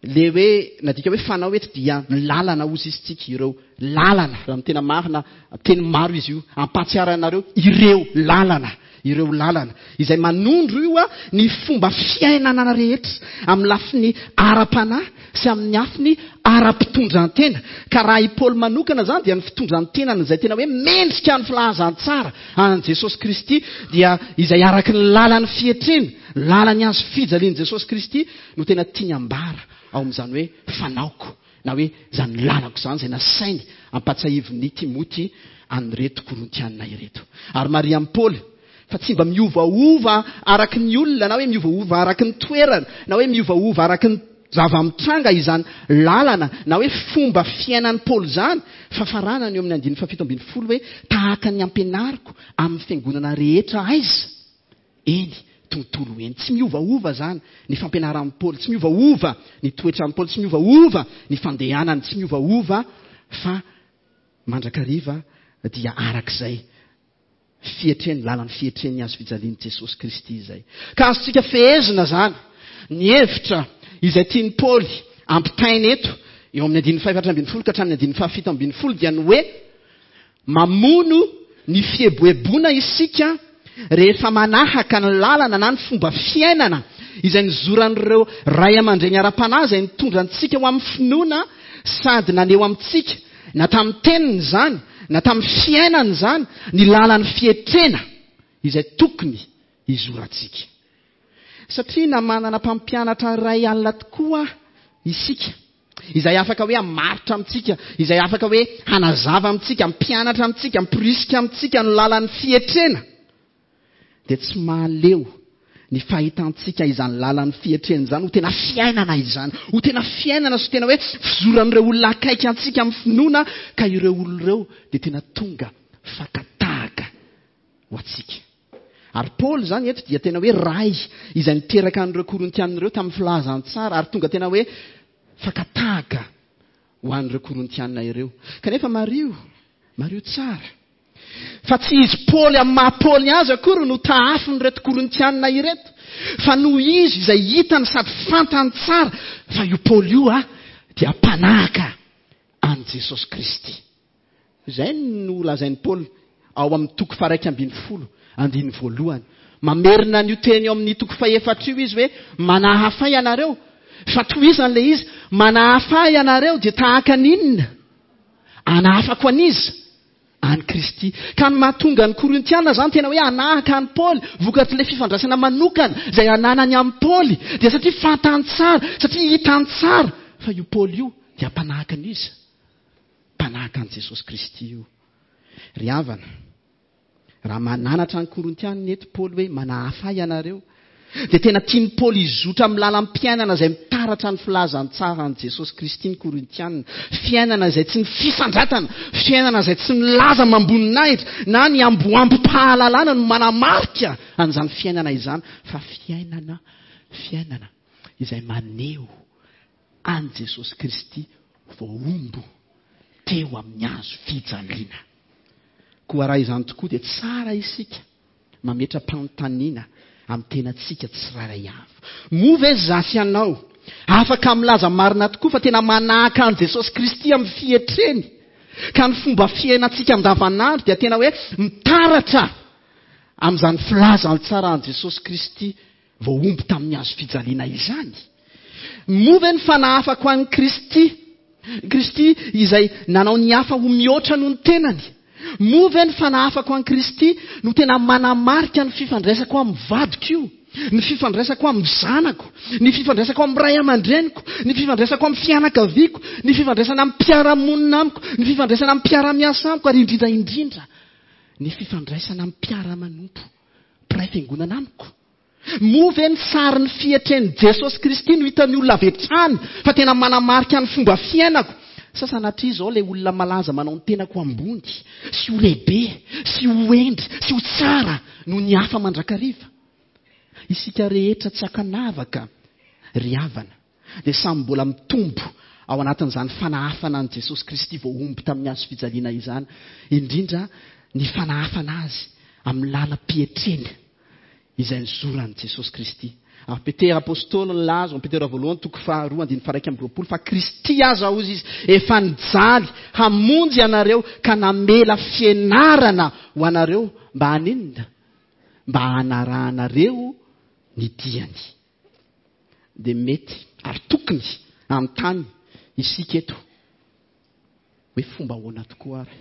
Le hoe nadika hoe fanao eto dia lalana hozy izy tsika, ireo lalana, raha ny tena marina, teny maro izy io, hampahatsiaro anareo ireo lalana. Ireo lalana, izay manondro io ny fomba fiainana rehetra amin'ny lafiny ara-panahy sy amin'ny afiny ara-pitondran-tena. Ka raha i Paoly manokana izany dia ny fitondran-tenany izay tena hoe mendrika ny filazantsara an'i Jesosy Kristy dia izay araka ny lalan'ny fietrena, lalan'ny hazo fijalian'i Jesosy Kristy no tena tiany ambara ao amin'izany hoe fanaoko na hoe izany lalako izany izay nasainy ampatsiahivin'i Timoty an'ireto Korintiana ireto. Ary marihan'i Paoly fa tsy mba miovaova araka ny olona na hoe miovaova araka ny toerana na hoe miovaova araka ny zava-mitranga izany lalana na hoe fomba fiainan'i Paoly izany, fa faranany eo amin'ny andininy fahafito ambin'ny folo hoe tahaka ny ampianariko amin'ny fiangonana rehetra aiza? Eny, tontolo eny. Tsy miovaova izany ny fampianaran'i Paoly, tsy miovaova ny toetran'i Paoly, tsy miovaova ny fandehanany, tsy miovaova fa mandrakariva dia arak'izay fietreny, lalan'ny fietren'ny hazo fijalian'i Jesosy Kristy izay. Ka azontsika fehezina izany ny hevitra izay tian'i Paoly ampitaina eto, eo amin'ny andininy fahefatra ambin'ny folo ka hatramin'ny andininy fahafito ambin'ny folo dia ny hoe Mamono ny fieboeboana isika rehefa manahaka ny lalana na ny fomba fiainana izay nizoran'ireo ray aman-dreny ara-panahy izay nitondra antsika ho amin'ny finoana sady naneho amintsika, na tamin'ny teniny izany, na tamin'ny fiainany izany, ny lalan'ny fietrena izay tokony hizorantsika. Satria na manana mpampianatra iray alina tokoa isika, izay afaka hoe hamaritra amintsika, izay afaka hoe hanazava amintsika, hampianatra amintsika, hamporisika amintsika ny lalan'ny fietrena, dia tsy mahaleo ny fahitantsika izany lalan'ny fietrena izany ho tena fiainana izany, ho tena fiainana sy tena hoe fizoran'ireo olona akaiky antsika amin'ny finoana, ka ireo olona ireo dia tena tonga fakan-tahaka ho antsika. Ary Paoly izany eto dia tena hoe ray izay niteraka an'ireo Korintiana ireo tamin'ny filazantsara ary tonga tena hoe fakan-tahaka ho an'ireo Korintiana ireo. Kanefa mariho, mariho tsara, fa tsy izy Paoly amin'ny maha Paoly azy akory no tahafin'ireto Korintiana ireto, fa noho izy izay hitany sady fantany tsara fa io Paoly io dia mpanahaka an'i Jesosy Kristy. Izay no lazain'i Paoly ao amin'ny toko faha-iraika ambin'ny folo, andininy voalohany. Mamerina an'io teny eo amin'ny toko fahefatra io izy hoe, Manahafa ianareo. Fa tohizany ilay izy, Manahafa ianareo dia tahaka ny inona? Anahafako an'iza? an'i Kristy. Ka ny mahatonga ny Korintiana izany tena hoe hanahaka an'i Paoly, vokatr'ilay fifandraisana manokana izay ananany amin'i Paoly, dia satria fantany tsara, satria hitany tsara fa io Paoly io dia mpanahaka an'iza? Mpanahaka an'i Jesosy Kristy io. Ry havana, Raha mananatra ny Korintianina eto Paoly hoe manahafa ahy ianareo, dia tena tian'i Paoly hizotra amin'ny lalam-piainana izay mitaratra ny filazantsaran'i Jesosy Kristy ny Korintianina. Fiainana izay tsy ny fisandratana, fiainana izay tsy ny laza amam-boninahitra na ny amboambom-pahalalana no manamarika an'izany fiainana izany, fa fiainana, fiainana izay maneho an'i Jesosy Kristy voahombo teo amin'ny hazo fijaliana. Koa raha izany tokoa dia tsara isika mametra-panontaniana amin'ny tenantsika tsirairay avy. Moa ve izaho sy ianao afaka milaza marina tokoa fa tena manahaka an'i Jesosy Kristy amin'ny fietreny, ka ny fomba fiainantsika andavanandro dia tena hoe mitaratra amin'izany filazantsaran'i Jesosy Kristy voahombo tamin'ny hazo fijaliana izany? Moa ve ny fanahafako an'i Kristy, Kristy izay nanao ny hafa ho mihoatra noho ny tenany, moa ve ny fanahafako an'i Kristy no tena manamarika ny fifandraisako amin'ny vadiko io, ny fifandraisako amin'ny zanako, ny fifandraisako amin'ny ray aman-dreniko, ny fifandraisako amin'ny fianakaviako, ny fifandraisana amin'ny mpiara-monina amiko, ny fifandraisana amin'ny mpiara-miasa amiko, ary indrindra indrindra ny fifandraisana amin'ny mpiara-manompo mpiray fiangonana amiko? Moa ve ny sarin'ny fietren'i Jesosy Kristy no hitan'ny olona avy hatrany fa tena manamarika ny fomba fiainako? Sa sanatria izao ilay olona malaza manao ny tenako ho ambony sy ho lehibe sy ho hendry sy ho tsara noho ny hafa mandrakariva? Isika rehetra tsy ankanavaka ry havana dia samy mbola mitombo ao anatin'izany fanahafana an'i Jesosy Kristy voahombo tamin'ny hazo fijaliana izany, indrindra ny fanahafana Azy amin'ny lalam-pietrena izay nizoran'i Jesosy Kristy. Ary Petera Apostoly nilaza ao Petera voalohany toko faharoa andininy faha-21 fa Kristy aza hozy izy efa nijaly hamonjy anareo ka namela fianarana ho anareo mba haninona? Mba hanarahanareo ny diany. Dia mety ary tokony hanontany isika eto hoe fomba ahoana tokoa ary?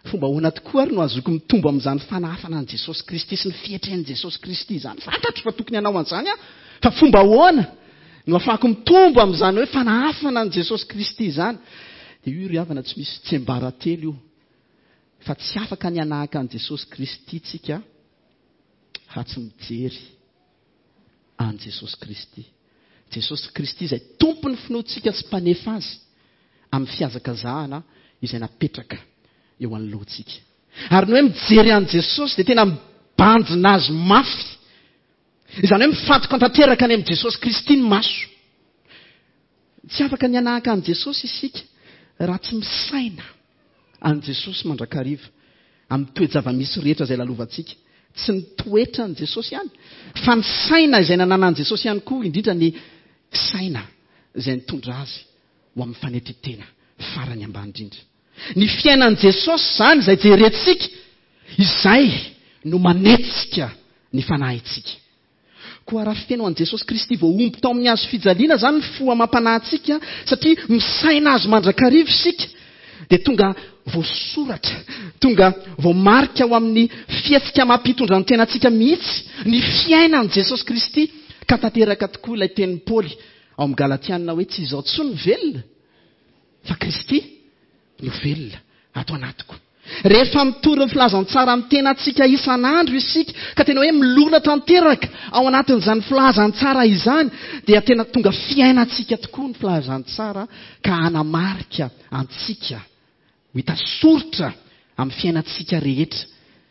Fomba ahoana tokoa ary no ahazoako mitombo amin'izany fanahafana an'i Jesosy Kristy sy ny fietren'i Jesosy Kristy izany? Fantatro fa tokony hanao an'izany aho, fa fomba ahoana no ahafahako mitombo amin'izany hoe fanahafana an'i Jesosy Kristy izany? Dia io ry havana tsy misy tsiambaratelo io, fa tsy afaka ny hanahaka an'i Jesosy Kristy tsika raha tsy mijery an'i Jesosy Kristy. Jesosy Kristy izay Tompon'ny finoantsika sy Mpanefa azy amin'ny fihazakazahana izay napetraka eo anoloantsika. Ary ny hoe mijery an'i Jesosy dia tena mibanjina azy mafy. Izany hoe mifantoka tanteraka any amin'i Jesosy Kristy ny maso. Tsy afaka ny hanahaka an'i Jesosy isika raha tsy misaina an'i Jesosy mandrakariva amin'ny toe-java-misy rehetra izay lalovantsika. Tsy ny toetran'i Jesosy ihany, fa ny saina izay nananan'i Jesosy ihany koa, indrindra ny saina izay nitondra azy ho amin'ny fanetren-tena farany ambany indrindra. Ny fiainan'i Jesosy izany izay jerentsika, izay no manetsika ny fanahintsika. Koa raha feno an'i Jesosy Kristy voahombo tao amin'ny hazo fijaliana izany ny fo amam-panahintsika, satria misaina Azy mandrakariva isika, dia tonga voasoratra, tonga voamarika ao amin'ny fihetsika amam-pitondran-tenantsika mihitsy ny fiainan'i Jesosy Kristy, ka tanteraka tokoa ilay tenin'i Paoly ao amin'ny Galatiana hoe tsy izaho intsony no velona, fa Kristy no velona ato anatiko. Rehefa mitory ny filazantsara amin'ny tenantsika isan'andro isika, ka tena hoe milona tanteraka ao anatin'izany filazantsara izany, dia tena tonga fiainantsika tokoa ny filazantsara ka hanamarika antsika ho hita soritra amin'ny fiainantsika rehetra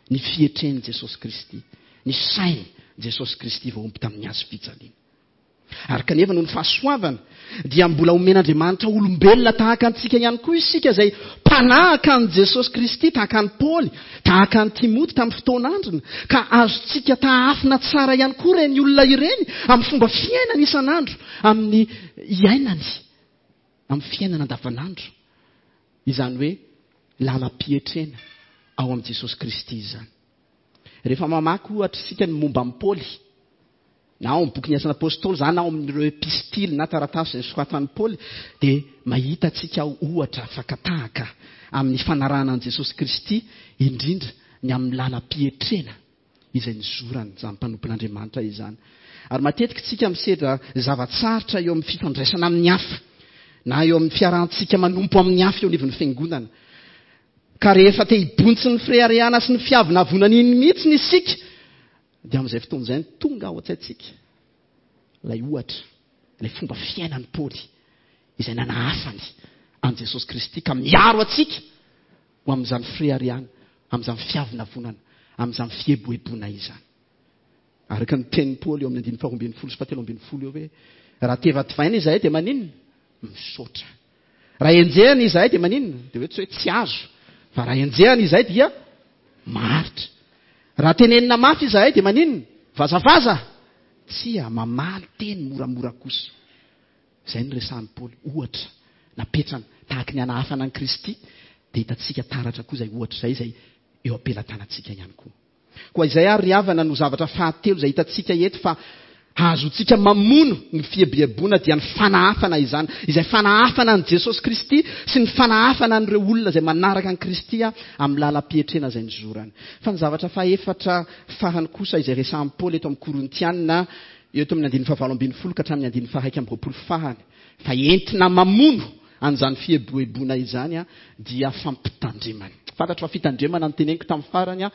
ny fietren'i Jesosy Kristy, ny sain'i Jesosy Kristy voahombo tamin'ny hazo fijaliana. Ary kanefa noho ny fahasoavana dia mbola omen'Andriamanitra olombelona tahaka antsika ihany koa isika izay mpanahaka an'i Jesosy Kristy, tahaka an'i Paoly, tahaka an'i Timoty tamin'ny fotoan'androny, ka azontsika tahafina tsara ihany koa ireny olona ireny amin'ny fomba fiainany isan'andro, amin'ny iainany, amin'ny fiainana andavanandro. Izany hoe lalam-pietrena ao amin'i Jesosy Kristy izany. Rehefa mamaky ohatra isika ny momba an'i Paoly, na ao amin'ny bokin'ny Asan'ny Apôstôly izany na ao amin'ireo epistily na taratasy izay nosoratan'i Paoly, dia mahita antsika ao ohatra fakan-tahaka amin'ny fanarahana an'i Jesosy Kristy, indrindra ny amin'ny lalam-pietrena izay nizorany izany mpanompon'Andriamanitra izany. Ary matetika isika misedra zava-tsarotra eo amin'ny fifandraisana amin'ny hafa, na eo amin'ny fiarahantsika manompo amin'ny hafa eo anivon'ny fiangonana. Ka rehefa te hibontsy ny fireharehana sy ny fiavonavonana iny mihitsy isika, dia amin'izay fotoana izay no tonga ao an-tsaintsika ilay ohatra, ilay fomba fiainan'i Paoly izay nanahafany an'i Jesosy Kristy ka miaro antsika ho amin'izany fireharehana, amin'izany fiavonavonana, amin'izany fieboeboana izany. Araka ny tenin'i Paoly eo amin'ny andininy faharoa ambin'ny folo sy fahatelo ambin'ny folo eo hoe, raha tevativaina izahay dia maninona? Misaotra. Raha enjehina izahay dia maninona? Dia hoe tsy hoe tsy azo, fa raha enjehina izahay dia maharitra. Raha tenenina mafy izahay dia maninona? Vazavaza! Tsia, mamaly teny moramora kosa. Izay no resahin'i Paoly, ohatra napetrany tahaky ny hanahafana an'i Kristy, dia hitantsika taratra koa izay ohatra izay, izay eo am-pelatanantsika ihany koa. Koa izay ary ry havana no zavatra fahatelo izay hitantsika eto fa hahazoantsika mamono ny fieboeboana dia ny fanahafana izany, izay fanahafana an'i Jesosy Kristy sy ny fanahafana an'ireo olona izay manaraka an'i Kristy amin'ny lalam-pietrena izay nizorany. Fa ny zavatra fahefatra farany kosa izay resahin'i Paoly eto amin'ny Korintiana eto amin'ny andininy fahavalo ambin'ny folo ka hatramin'ny andininy faha-iraika amby 20 farany fa entina mamono an'izany fieboeboana izany dia fampitandremana. Fantatro fa fitandremana no teneniko tamin'ny farany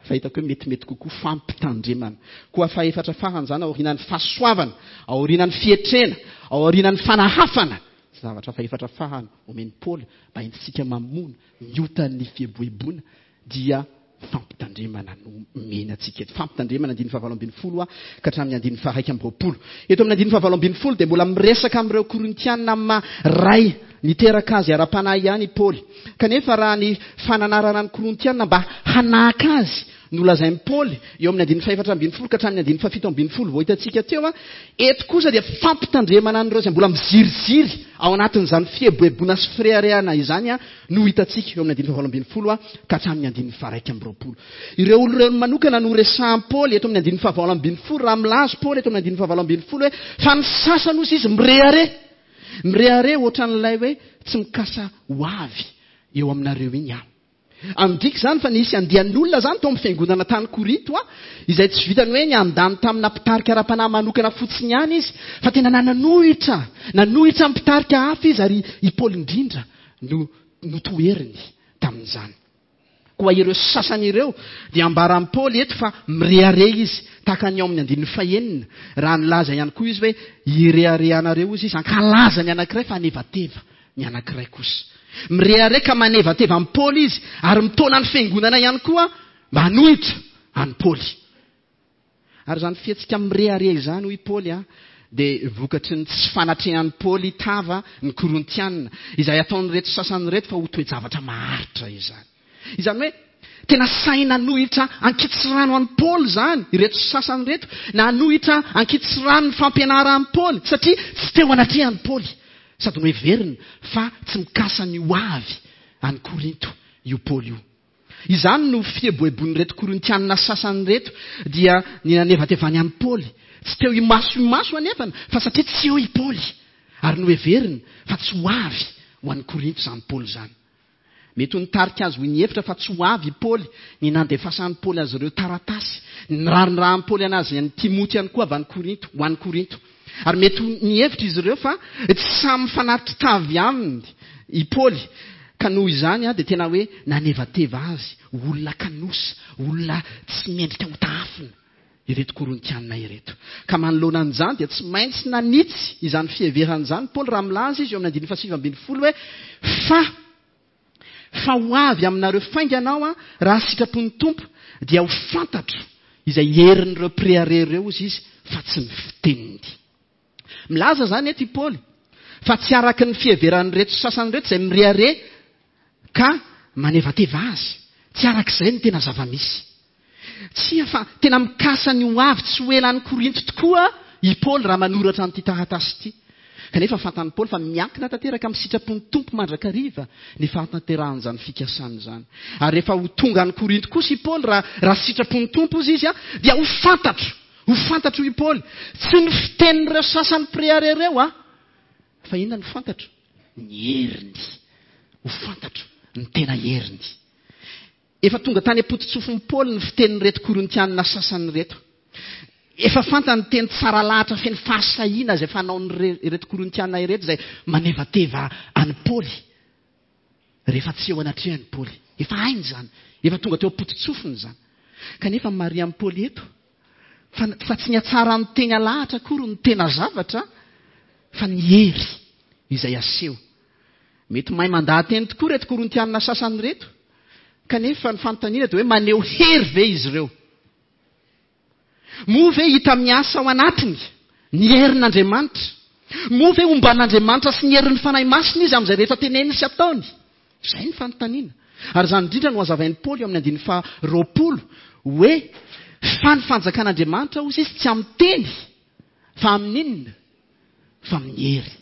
fa hitako hoe metimety kokoa fampitandremana. Koa fahefatra farany izany aorianan'ny fahasoavana, aorianan'ny fietrena, aorianan'ny fanahafana, zavatra fahefatra farany omen'i Paoly mba entintsika mamono ny otan'ny fieboeboana dia fampitandremana no omena antsika eto. Fampitandremana andininy fahavalo ambin'ny folo ka hatramin'ny andininy faha-iraika amby 20. Eto amin'ny andininy fahavalo ambin'ny folo dia mbola miresaka amin'ireo Korintiana amin'ny maha ray niteraka azy ara-panahy ihany i Paoly. Kanefa raha ny fananarana ny Korintiana mba hanahaka azy no lazain'i Paoly eo amin'ny andininy fahefatra ambin'ny folo ka hatramin'ny andininy fahafito ambin'ny folo vao hitantsika teo, eto kosa dia fampitandremana an'ireo izay mbola miziriziry ao anatin'izany fieboeboana sy fireharehana izany no hitantsika eo amin'ny andininy fahavalo ambin'ny folo ka hatramin'ny andininy faha-iraika amby 20. Ireo olona ireo manokana no resahin'i Paoly eto amin'ny andininy fahavalo ambin'ny folo raha milaza Paoly eto amin'ny andininy fahavalo ambin'ny folo hoe fa ny sasany hozy izy mirehareha. Mirehareha ohatran'ilay hoe tsy mikasa ho avy eo aminareo iny aho. Midika izany fa nisy andian'olona izany tao amin'ny fiangonana tany Korinto, izay tsy vitan'ny hoe niandany tamina mpitarika ara-panahy manokana fotsiny ihany izy, fa tena nanohitra, nanohitra ny mpitarika hafa izy, ary i Paoly indrindra no notoheriny tamin'izany. Koa ireo sasany ireo dia ambaran'i Paoly eto fa mirehareha izy, tahaka ny ao amin'ny andininy fahenina, raha nilaza ihany koa izy hoe hireharehanareo hozy izy, hankalaza ny anankiray fa hanevateva ny anankiray kosa. Mirehareha ka manevateva an'i Paoly izy ary mitaona ny fiangonana ihany koa mba hanohitra an'i Paoly. Ary izany fihetsika mirehareha izany, hoy i Paoly, dia vokatry ny tsy fanatrehan'i Paoly tava ny Korintiana, izay ataon'ireto sasany ireto fa ho toe-javatra maharitra izany. Izany hoe, tena sahy nanohitra ankitsirano an'i Paoly izany ireto sasany ireto, nanohitra ankitsirano ny fampianaran'i Paoly, satria tsy teo anatrehan'i Paoly, sady noheveriny fa tsy mikasa ny ho avy any Korinto io Paoly io. Izany no fieboeboan'ireto Korintianina sasany ireto, dia ny nanevatevany an'i Paoly. Tsy teo imaso imaso anefa, fa satria tsy eo i Paoly, ary noheveriny fa tsy ho avy ho any Korinto izany Paoly izany. Mety ho nitarika azy ho nihevitra fa tsy ho avy i Paoly ny nandefasan'i Paoly azy ireo taratasy, ny nirarindrahan'i Paoly an'azy an'i Timoty ihany koa avy any Korinto, ho any Korinto. Ary mety ho nihevitra izy ireo fa tsy samy mifanatri-tavy aminy i Paoly, ka noho izany dia tena hoe nanevateva azy ho olona kanosa, olona tsy mendrika hotahafina ireto Korintiana ireto. Ka manoloana an'izany dia tsy maintsy nanitsy izany fiheverana izany Paoly raha milaza izy eo amin'ny andininy fahasivy ambin'ny folo hoe, Fa, fa ho avy aminareo faingana aho raha sitrapon'ny Tompo, dia ho fantatro izay herin'ireo mpirehareha ireo, hozy izy, fa tsy ny fiteniny. Milaza izany eto i Paoly fa tsy araka ny fiheveran'ireto sasany ireto izay mirehareha ka manevateva azy. Tsy araka izay no tena zava-misy. Tsia, fa tena mikasa ny ho avy tsy ho ela any Korinto tokoa i Paoly raha manoratra an'ity taratasy ity. Kanefa fantan'i Paoly fa miankina tanteraka amin'ny sitrapon'ny Tompo mandrakariva ny fahatanterahan'izany fikasana izany. Ary rehefa ho tonga any Korinto kosa i Paoly, raha raha sitrapon'ny Tompo hozy izy, dia ho fantatro, ho fantatro i Paoly, tsy ny fitenin'ireo sasany mpirehareha ireo, fa inona no fantatro? Ny heriny. Ho fantatro. ny tena heriny. Efa tonga tany am-pototsofin'i Paoly ny fitenin'ireto Korintianina sasany ireto. Efa fantany ny teny tsara lahatra feno fahasahiana izay fanaon'ireto Korintiana ireto izay manevateva an'i Paoly rehefa tsy eo anatrehan'i Paoly. Efa hainy izany. Efa tonga teo am-pototsofiny izany. Kanefa marihan'i Paoly eto fa, fa tsy ny hatsaran'ny teny alahatra akory no tena zavatra fa ny hery izay aseho. Mety mahay mandaha-teny tokoa ireto Korintianina sasany ireto, kanefa ny fanontaniana dia hoe maneho hery ve izy ireo? Moa ve hita miasa ao anatiny ny herin'Andriamanitra? Moa ve omban'Andriamanitra sy ny herin'ny Fanahy Masina izy amin'izay rehetra teneniny sy ataony? Izay ny fanontaniana. Ary izany indrindra no hazavain'i Paoly eo amin'ny andininy faha-20 hoe fa ny fanjakan'Andriamanitra hozy izy tsy amin'ny teny fa amin'inona? Fa amin'ny hery.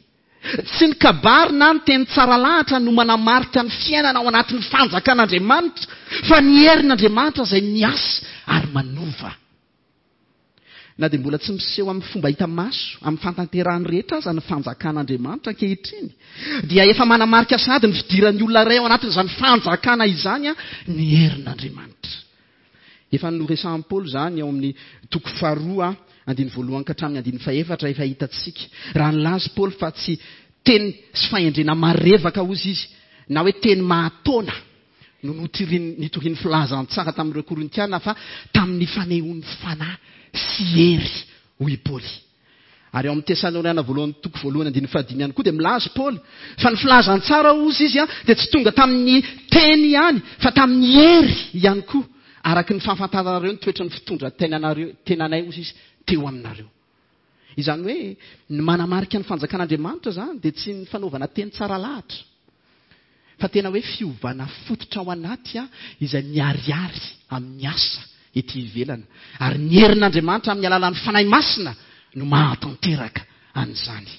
Tsy ny kabary na ny teny tsara lahatra no manamarika ny fiainana ao anatin'ny fanjakan'Andriamanitra, fa ny herin'Andriamanitra izay miasa ary manova. Na dia mbola tsy miseho amin'ny fomba hita maso amin'ny fahatanterahany rehetra aza ny fanjakan'Andriamanitra ankehitriny, dia efa manamarika sahady ny fidiran'ny olona iray ao anatin'izany fanjakana izany ny herin'Andriamanitra. Efa noresahan'i Paoly izany ao amin'ny toko faharoa, andininy voalohany ka hatramin'ny andininy fahefatra efa hitantsika. Raha nilaza i Paoly fa tsy teny sy fahendrena marevaka hozy izy, na hoe teny mahataona no nitoriany filazantsara tamin'ireo Korintiana fa tamin'ny fanehoan'ny fanahy sy hery, hoy i Paoly. Ary ao amin'ny Tesaloniana voalohany toko voalohany andininy fahadimy ihany koa dia milaza Paoly fa ny filazantsara hozy izy dia tsy tonga tamin'ny teny ihany fa tamin'ny hery ihany koa araka ny fahafantaranareo ny toetran'ny fitondran-tenanareo tenanay hozy izy teo aminareo. Izany hoe ny manamarika ny fanjakan'Andriamanitra izany dia tsy ny fanaovana teny tsara lahatra fa tena hoe fiovana fototra ao anaty izay miharihary amin'ny asa ety ivelany. Ary ny herin'Andriamanitra amin'ny alalan'ny Fanahy Masina no mahatanteraka an'izany.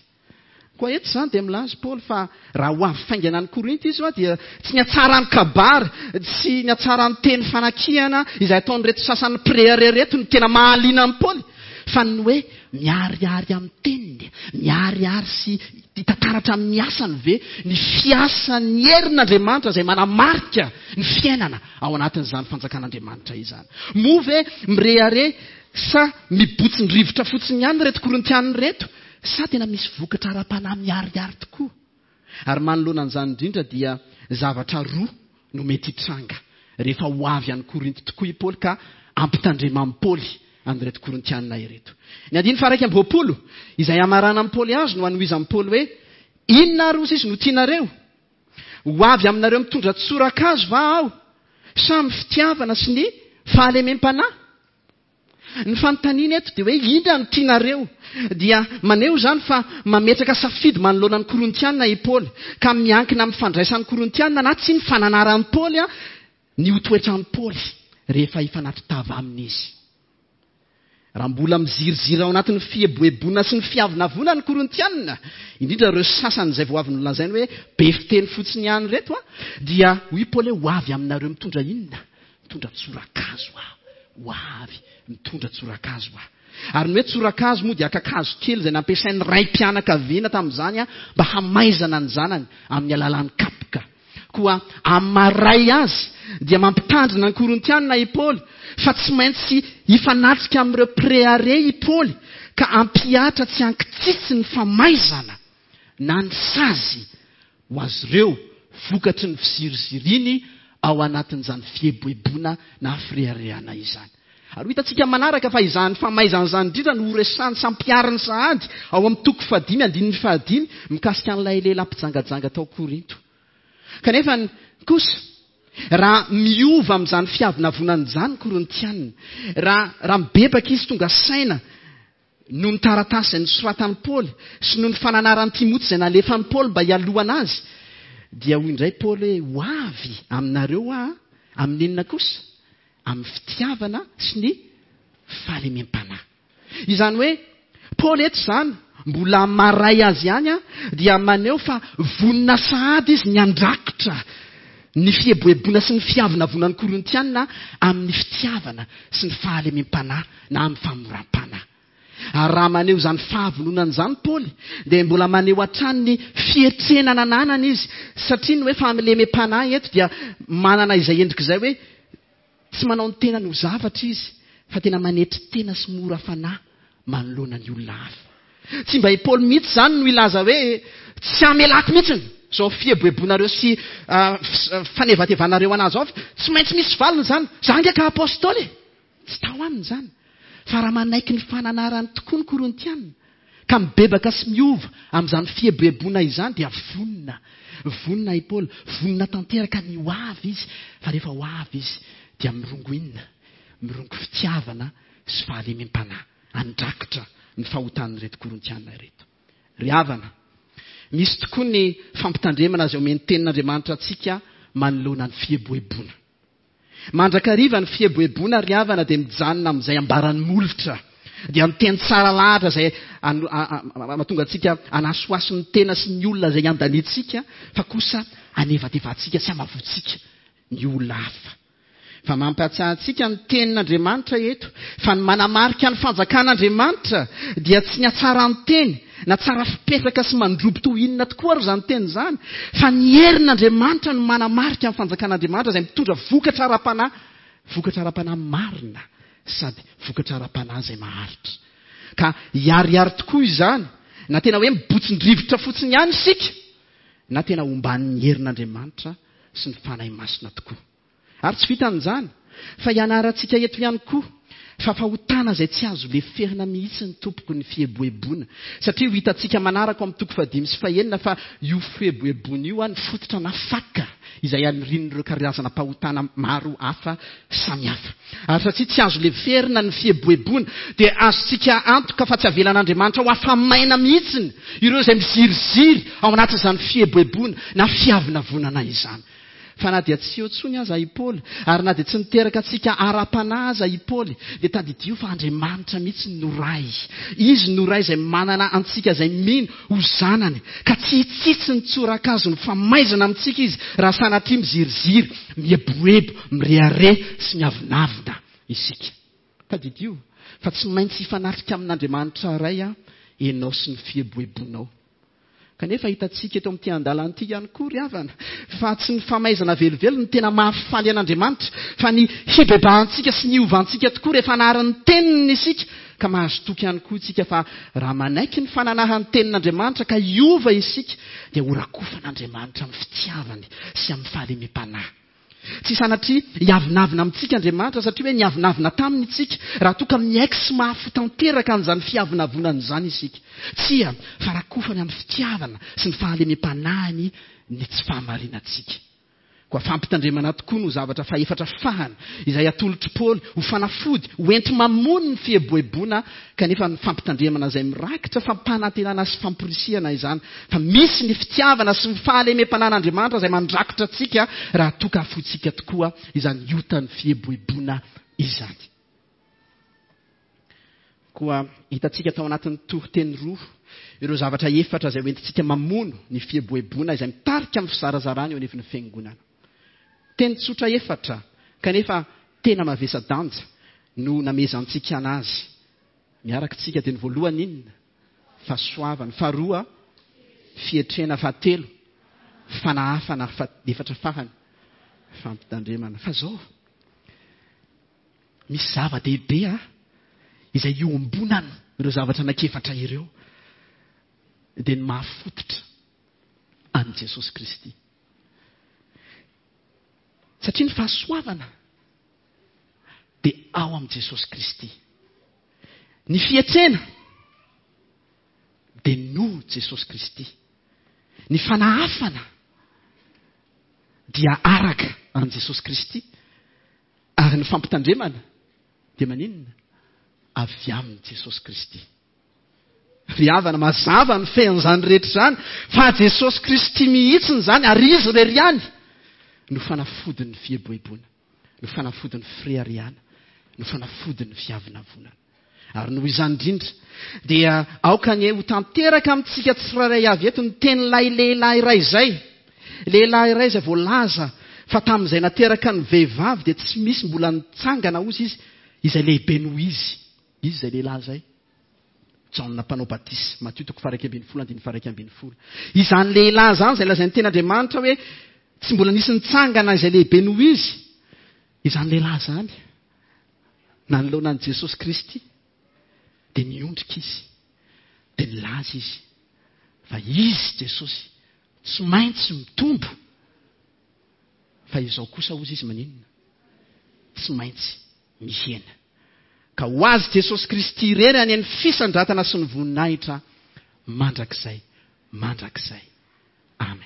Koa eto izany dia milaza Paoly fa raha ho avy faingana any Korinto izy dia tsy ny hatsaran'ny kabary, tsy ny hatsaran'ny teny fanakihana izay ataon'ireto sasany mpirehareha ireto no tena mahaliana an'i Paoly, fa ny hoe miharihary amin'ny teniny, miharihary sy hita taratra amin'ny asany ve ny fiasan'ny herin'Andriamanitra izay manamarika ny fiainana ao anatin'izany fanjakan'Andriamanitra izany? Moa ve mirehareha sa mibotsin-drivotra fotsiny ihany ireto Korintiana ireto sa tena misy vokatra ara-panahy miharihary tokoa? Ary manoloana an'izany indrindra dia zavatra roa no mety hitranga rehefa ho avy any Korinto tokoa i Paoly ka ampitandreman'i Paoly an'ireto Korintiana ireto. Ny andininy faha-21, izay hamaranan'i Paoly azy no hanohizan'i Paoly hoe, Inona ary hozy izy no tianareo? Ho avy aminareo mitondra tsorakazo va aho, sa amin'ny fitiavana sy ny fahalemem-panahy? Ny fanontaniana eto dia hoe inona no tianareo? Dia maneho izany fa mametraka safidy manoloana ny Korintiana i Paoly, ka miankina amin'ny fandraisan'ny Korintiana na tsia ny fananaran'i Paoly ny ho toetran'i Paoly rehefa hifanatri-tava aminy izy. Raha mbola miziriziry ao anatin'ny fieboeboana sy ny fiavonavona ny Korintiana, indrindra ireo sasany izay vao avy nolazainy hoe be fiteny fotsiny ihany ireto, dia hoy Paoly hoe ho avy aminareo mitondra inona? Mitondra tsorakazo aho. Ho avy mitondra tsorakazo aho. Ary ny hoe tsorakazo moa dia kakazo kely izay nampiasain'ny raim-pianakaviana tamin'izany mba hamaizana ny zanany amin'ny alalan'ny kapoka. Koa amin'ny maha-ray azy dia mampitandrina ny Korintiana i Paoly fa tsy maintsy hifanatrika amin'ireo mpirehareha i Paoly ka hampihatra tsy ankitsitsy ny famaizana na ny sazy ho azy ireo vokatry ny fiziriziriany ao anatin'izany fieboeboana na fireharehana izany. Ary ho hitantsika manaraka fa izany famaizana izany indrindra no horesahany sy hampihariny sahady ao amin'ny toko fahadimy andininy fahadimy mikasika an'ilay lehilahy mpijangajanga tao Korinto. Kanefa kosa, raha miova amin'izany fiavonavonana izany ny Korintiana, raha raha mibebaka izy tonga saina noho ny taratasy izay nosoratan'i Paoly sy noho ny fananaran'i Timoty izay nalefan'i Paoly mba hialohana azy, dia hoy indray Paoly hoe, Ho avy aminareo aho, amin'inona kosa? Amin'ny fitiavana sy ny fahalemem-panahy. Izany hoe, Paoly eto izany, mbola maray azy ihany, dia maneho fa vonona sahady izy ny handrakotra ny fieboeboana sy ny fiavonavonan'ny Korintiana amin'ny fitiavana sy ny fahalemem-panahy na amin'ny famoram-panahy. Ary raha maneho izany fahavononana izany Paoly, dia mbola maneho hatrany ny fietrena nananany izy, satria ny hoe fahalemem-panahy eto dia manana izay endrika izay hoe tsy manao ny tenany ho zavatra izy, fa tena manetry tena sy mora fanahy manoloana ny olona hafa. Tsy mba i Paoly mihitsy izany no hilaza hoe tsy hamelako mihitsy izao fieboebonareo sy fanevatevanareo an'ahy izao, tsy maintsy misy valiny izany, za ange ka apostoly e! Tsy tao aminy izany, fa raha manaiky ny fananarany tokoa ny Korintiana, ka mibebaka sy miova amin'izany fieboeboana izany, dia vonona. Vonona i Paoly, vonona tanteraka ny ho avy izy, fa rehefa ho avy izy, dia mirongo inona? Mirongo fitiavana sy fahalemem-panahy handrakotra ny fahotan'ireto Korintiana ireto. Ry havana, misy tokoa ny fampitandremana izay omen'ny Tenin'Andriamanitra antsika manoloana ny fieboeboana. Mandrakariva ny fieboeboana ry havana dia mijanona amin'izay ambaran'ny molotra. Dia ny teny tsara lahatra izay mahatonga antsika hanasohaso ny tena sy ny olona izay iandaniantsika fa kosa hanevatevantsika sy hamavoantsika ny olona hafa. Fa mampahatsiahy antsika ny tenin'Andriamanitra eto fa ny manamarika ny fanjakan'Andriamanitra dia tsy ny hatsaran-teny Na tsara fipetraka sy mandrobo toy inona tokoa ary izany teny izany, fa ny herin'Andriamanitra no manamarika ny fanjakan'Andriamanitra izay mitondra vokatra ara-panahy, vokatra ara-panahy marina sady vokatra ara-panahy izay maharitra. Ka hiharihary tokoa izany, na tena hoe mibotsin-drivotra fotsiny ihany isika, na tena omban'ny herin'Andriamanitra sy ny Fanahy Masina tokoa. Ary tsy vitan'izany, fa ianarantsika eto ihany koa fa fahotana izay tsy azo leferina mihitsy ny tompoko ny fieboeboana. Satria ho hitantsika manaraka ao amin'ny toko fahadimy sy fahenina fa io fieboeboana io ny fototra na faka izay anirian'ireo karazana mpahotana maro hafa samihafa. Ary satria tsy azo leferina ny fieboeboana dia azontsika antoka fa tsy avelan'Andriamanitra ho afa-maina mihitsiny ireo izay miziriziry ao anatin'izany fieboeboana na fiavonavonana izany. Fa na dia tsy eo intsony aza i Paoly, ary na dia tsy niteraka antsika ara-panahy aza i Paoly, dia tadidio fa Andriamanitra mihitsy no Ray. Izy no Ray izay manana antsika izay mino ho zanany, ka tsy hitsitsy ny tsorakazony famaizana amintsika Izy raha sanatria miziriziry, mieboebo, mirehareha sy miavonavona isika. Tadidio fa tsy maintsy hifanatrika amin'Andriamanitra Ray ianao sy ny fieboebonao. Kanefa hitantsika eto amin'ity andalana ity ihany koa ry havana fa tsy ny famaizana velively no tena mahafaly an'Andriamanitra fa ny hibebahantsika sy ny hiovantsika tokoa rehefa nahary ny teniny isika ka mahazo toky ihany koa isika fa raha manaiky ny fananahan'ny tenin'Andriamanitra ka hiova isika dia horakofan'Andriamanitra amin'ny fitiavany sy amin'ny fahalemem-panahy. Tsy sanatria hiavonavona amintsika Andriamanitra satria hoe niavonavona taminy isika, raha toa ka miaiky sy mahafoy tanteraka an'izany fiavonavonana izany isika. Tsia, fa rakofany amin'ny fitiavana sy ny fahalemem-panahiny ny tsy fahamarinantsika. Koa fampitandremana tokoa no zavatra fahefatra fahany izay atolotr'i Paoly ho fanafody ho enti-mamono ny fieboeboana Kanefa ny fampitandremana izay mirakitra fampanantenana sy famporisihana izany fa misy ny fitiavana sy ny fahalemem-panan'Andriamanitra izay mandrakotra antsika raha toa ka afointsika tokoa izany otan'ny fieboeboana izany. Koa hitantsika tao anatin'ny toriteny roa ireo zavatra efatra izay hoentintsika mamono ny fieboeboana izay mitarika amin'ny fizarazarana eo anivon'ny fiangonana. Teny tsotra efatra kanefa tena mavesa-danja no namehezantsika anazy miaraka tsika dia ny voalohany inona? Fahasoavana, faharoa fietrena, fahatelo fanahafana ary fahefatra farany fampitandremana. Fa zao misy zava-dehibe a izay iombonana ireo zavatra anankiefatra ireo dia ny mahafototra an'i Jesosy Kristy. Satria ny fahasoavana dia ao amin'i Jesosy Kristy. Ny fietsena dia noho Jesosy Kristy. Ny fanahafana dia araka an'i Jesosy Kristy. Ary ny fampitandremana dia maninona? Avy amin'i Jesosy Kristy. Ry havana, mazava ny fean'izany rehetra izany fa Jesosy Kristy mihitsiny izany ary Izy irery ihany no fanafodin'ny fieboeboana, no fanafodin'ny fireharehana, no fanafodin'ny fiavonavonana. Ary noho izany indrindra dia aoka anie ho tanteraka amintsika tsirairay avy eto ny tenin'ilay lehilahy iray izay. Lehilahy iray izay voalaza fa tamin'izay nateraka ny vehivavy dia tsy misy mbola nitsangana hozy izy izay lehibe noho izy. Izy izay lehilahy izay. Jaona mpanao batisa, Matio toko faha-11 andininy faha-11. Izany lehilahy izany izay lazain'ny tenin'Andriamanitra hoe tsy mbola nisy nitsangana izay lehibe noho izy, izany lehilahy izany nanoloana an'i Jesosy Kristy dia niondrika izy, dia nilaza izy fa izy Jesosy tsy maintsy mitombo fa izao kosa hozy izy maninona? Tsy maintsy mihena. Ka ho azy Jesosy Kristy irery anie ny fisandratana sy ny voninahitra mandrakizay mandrakizay. Amen.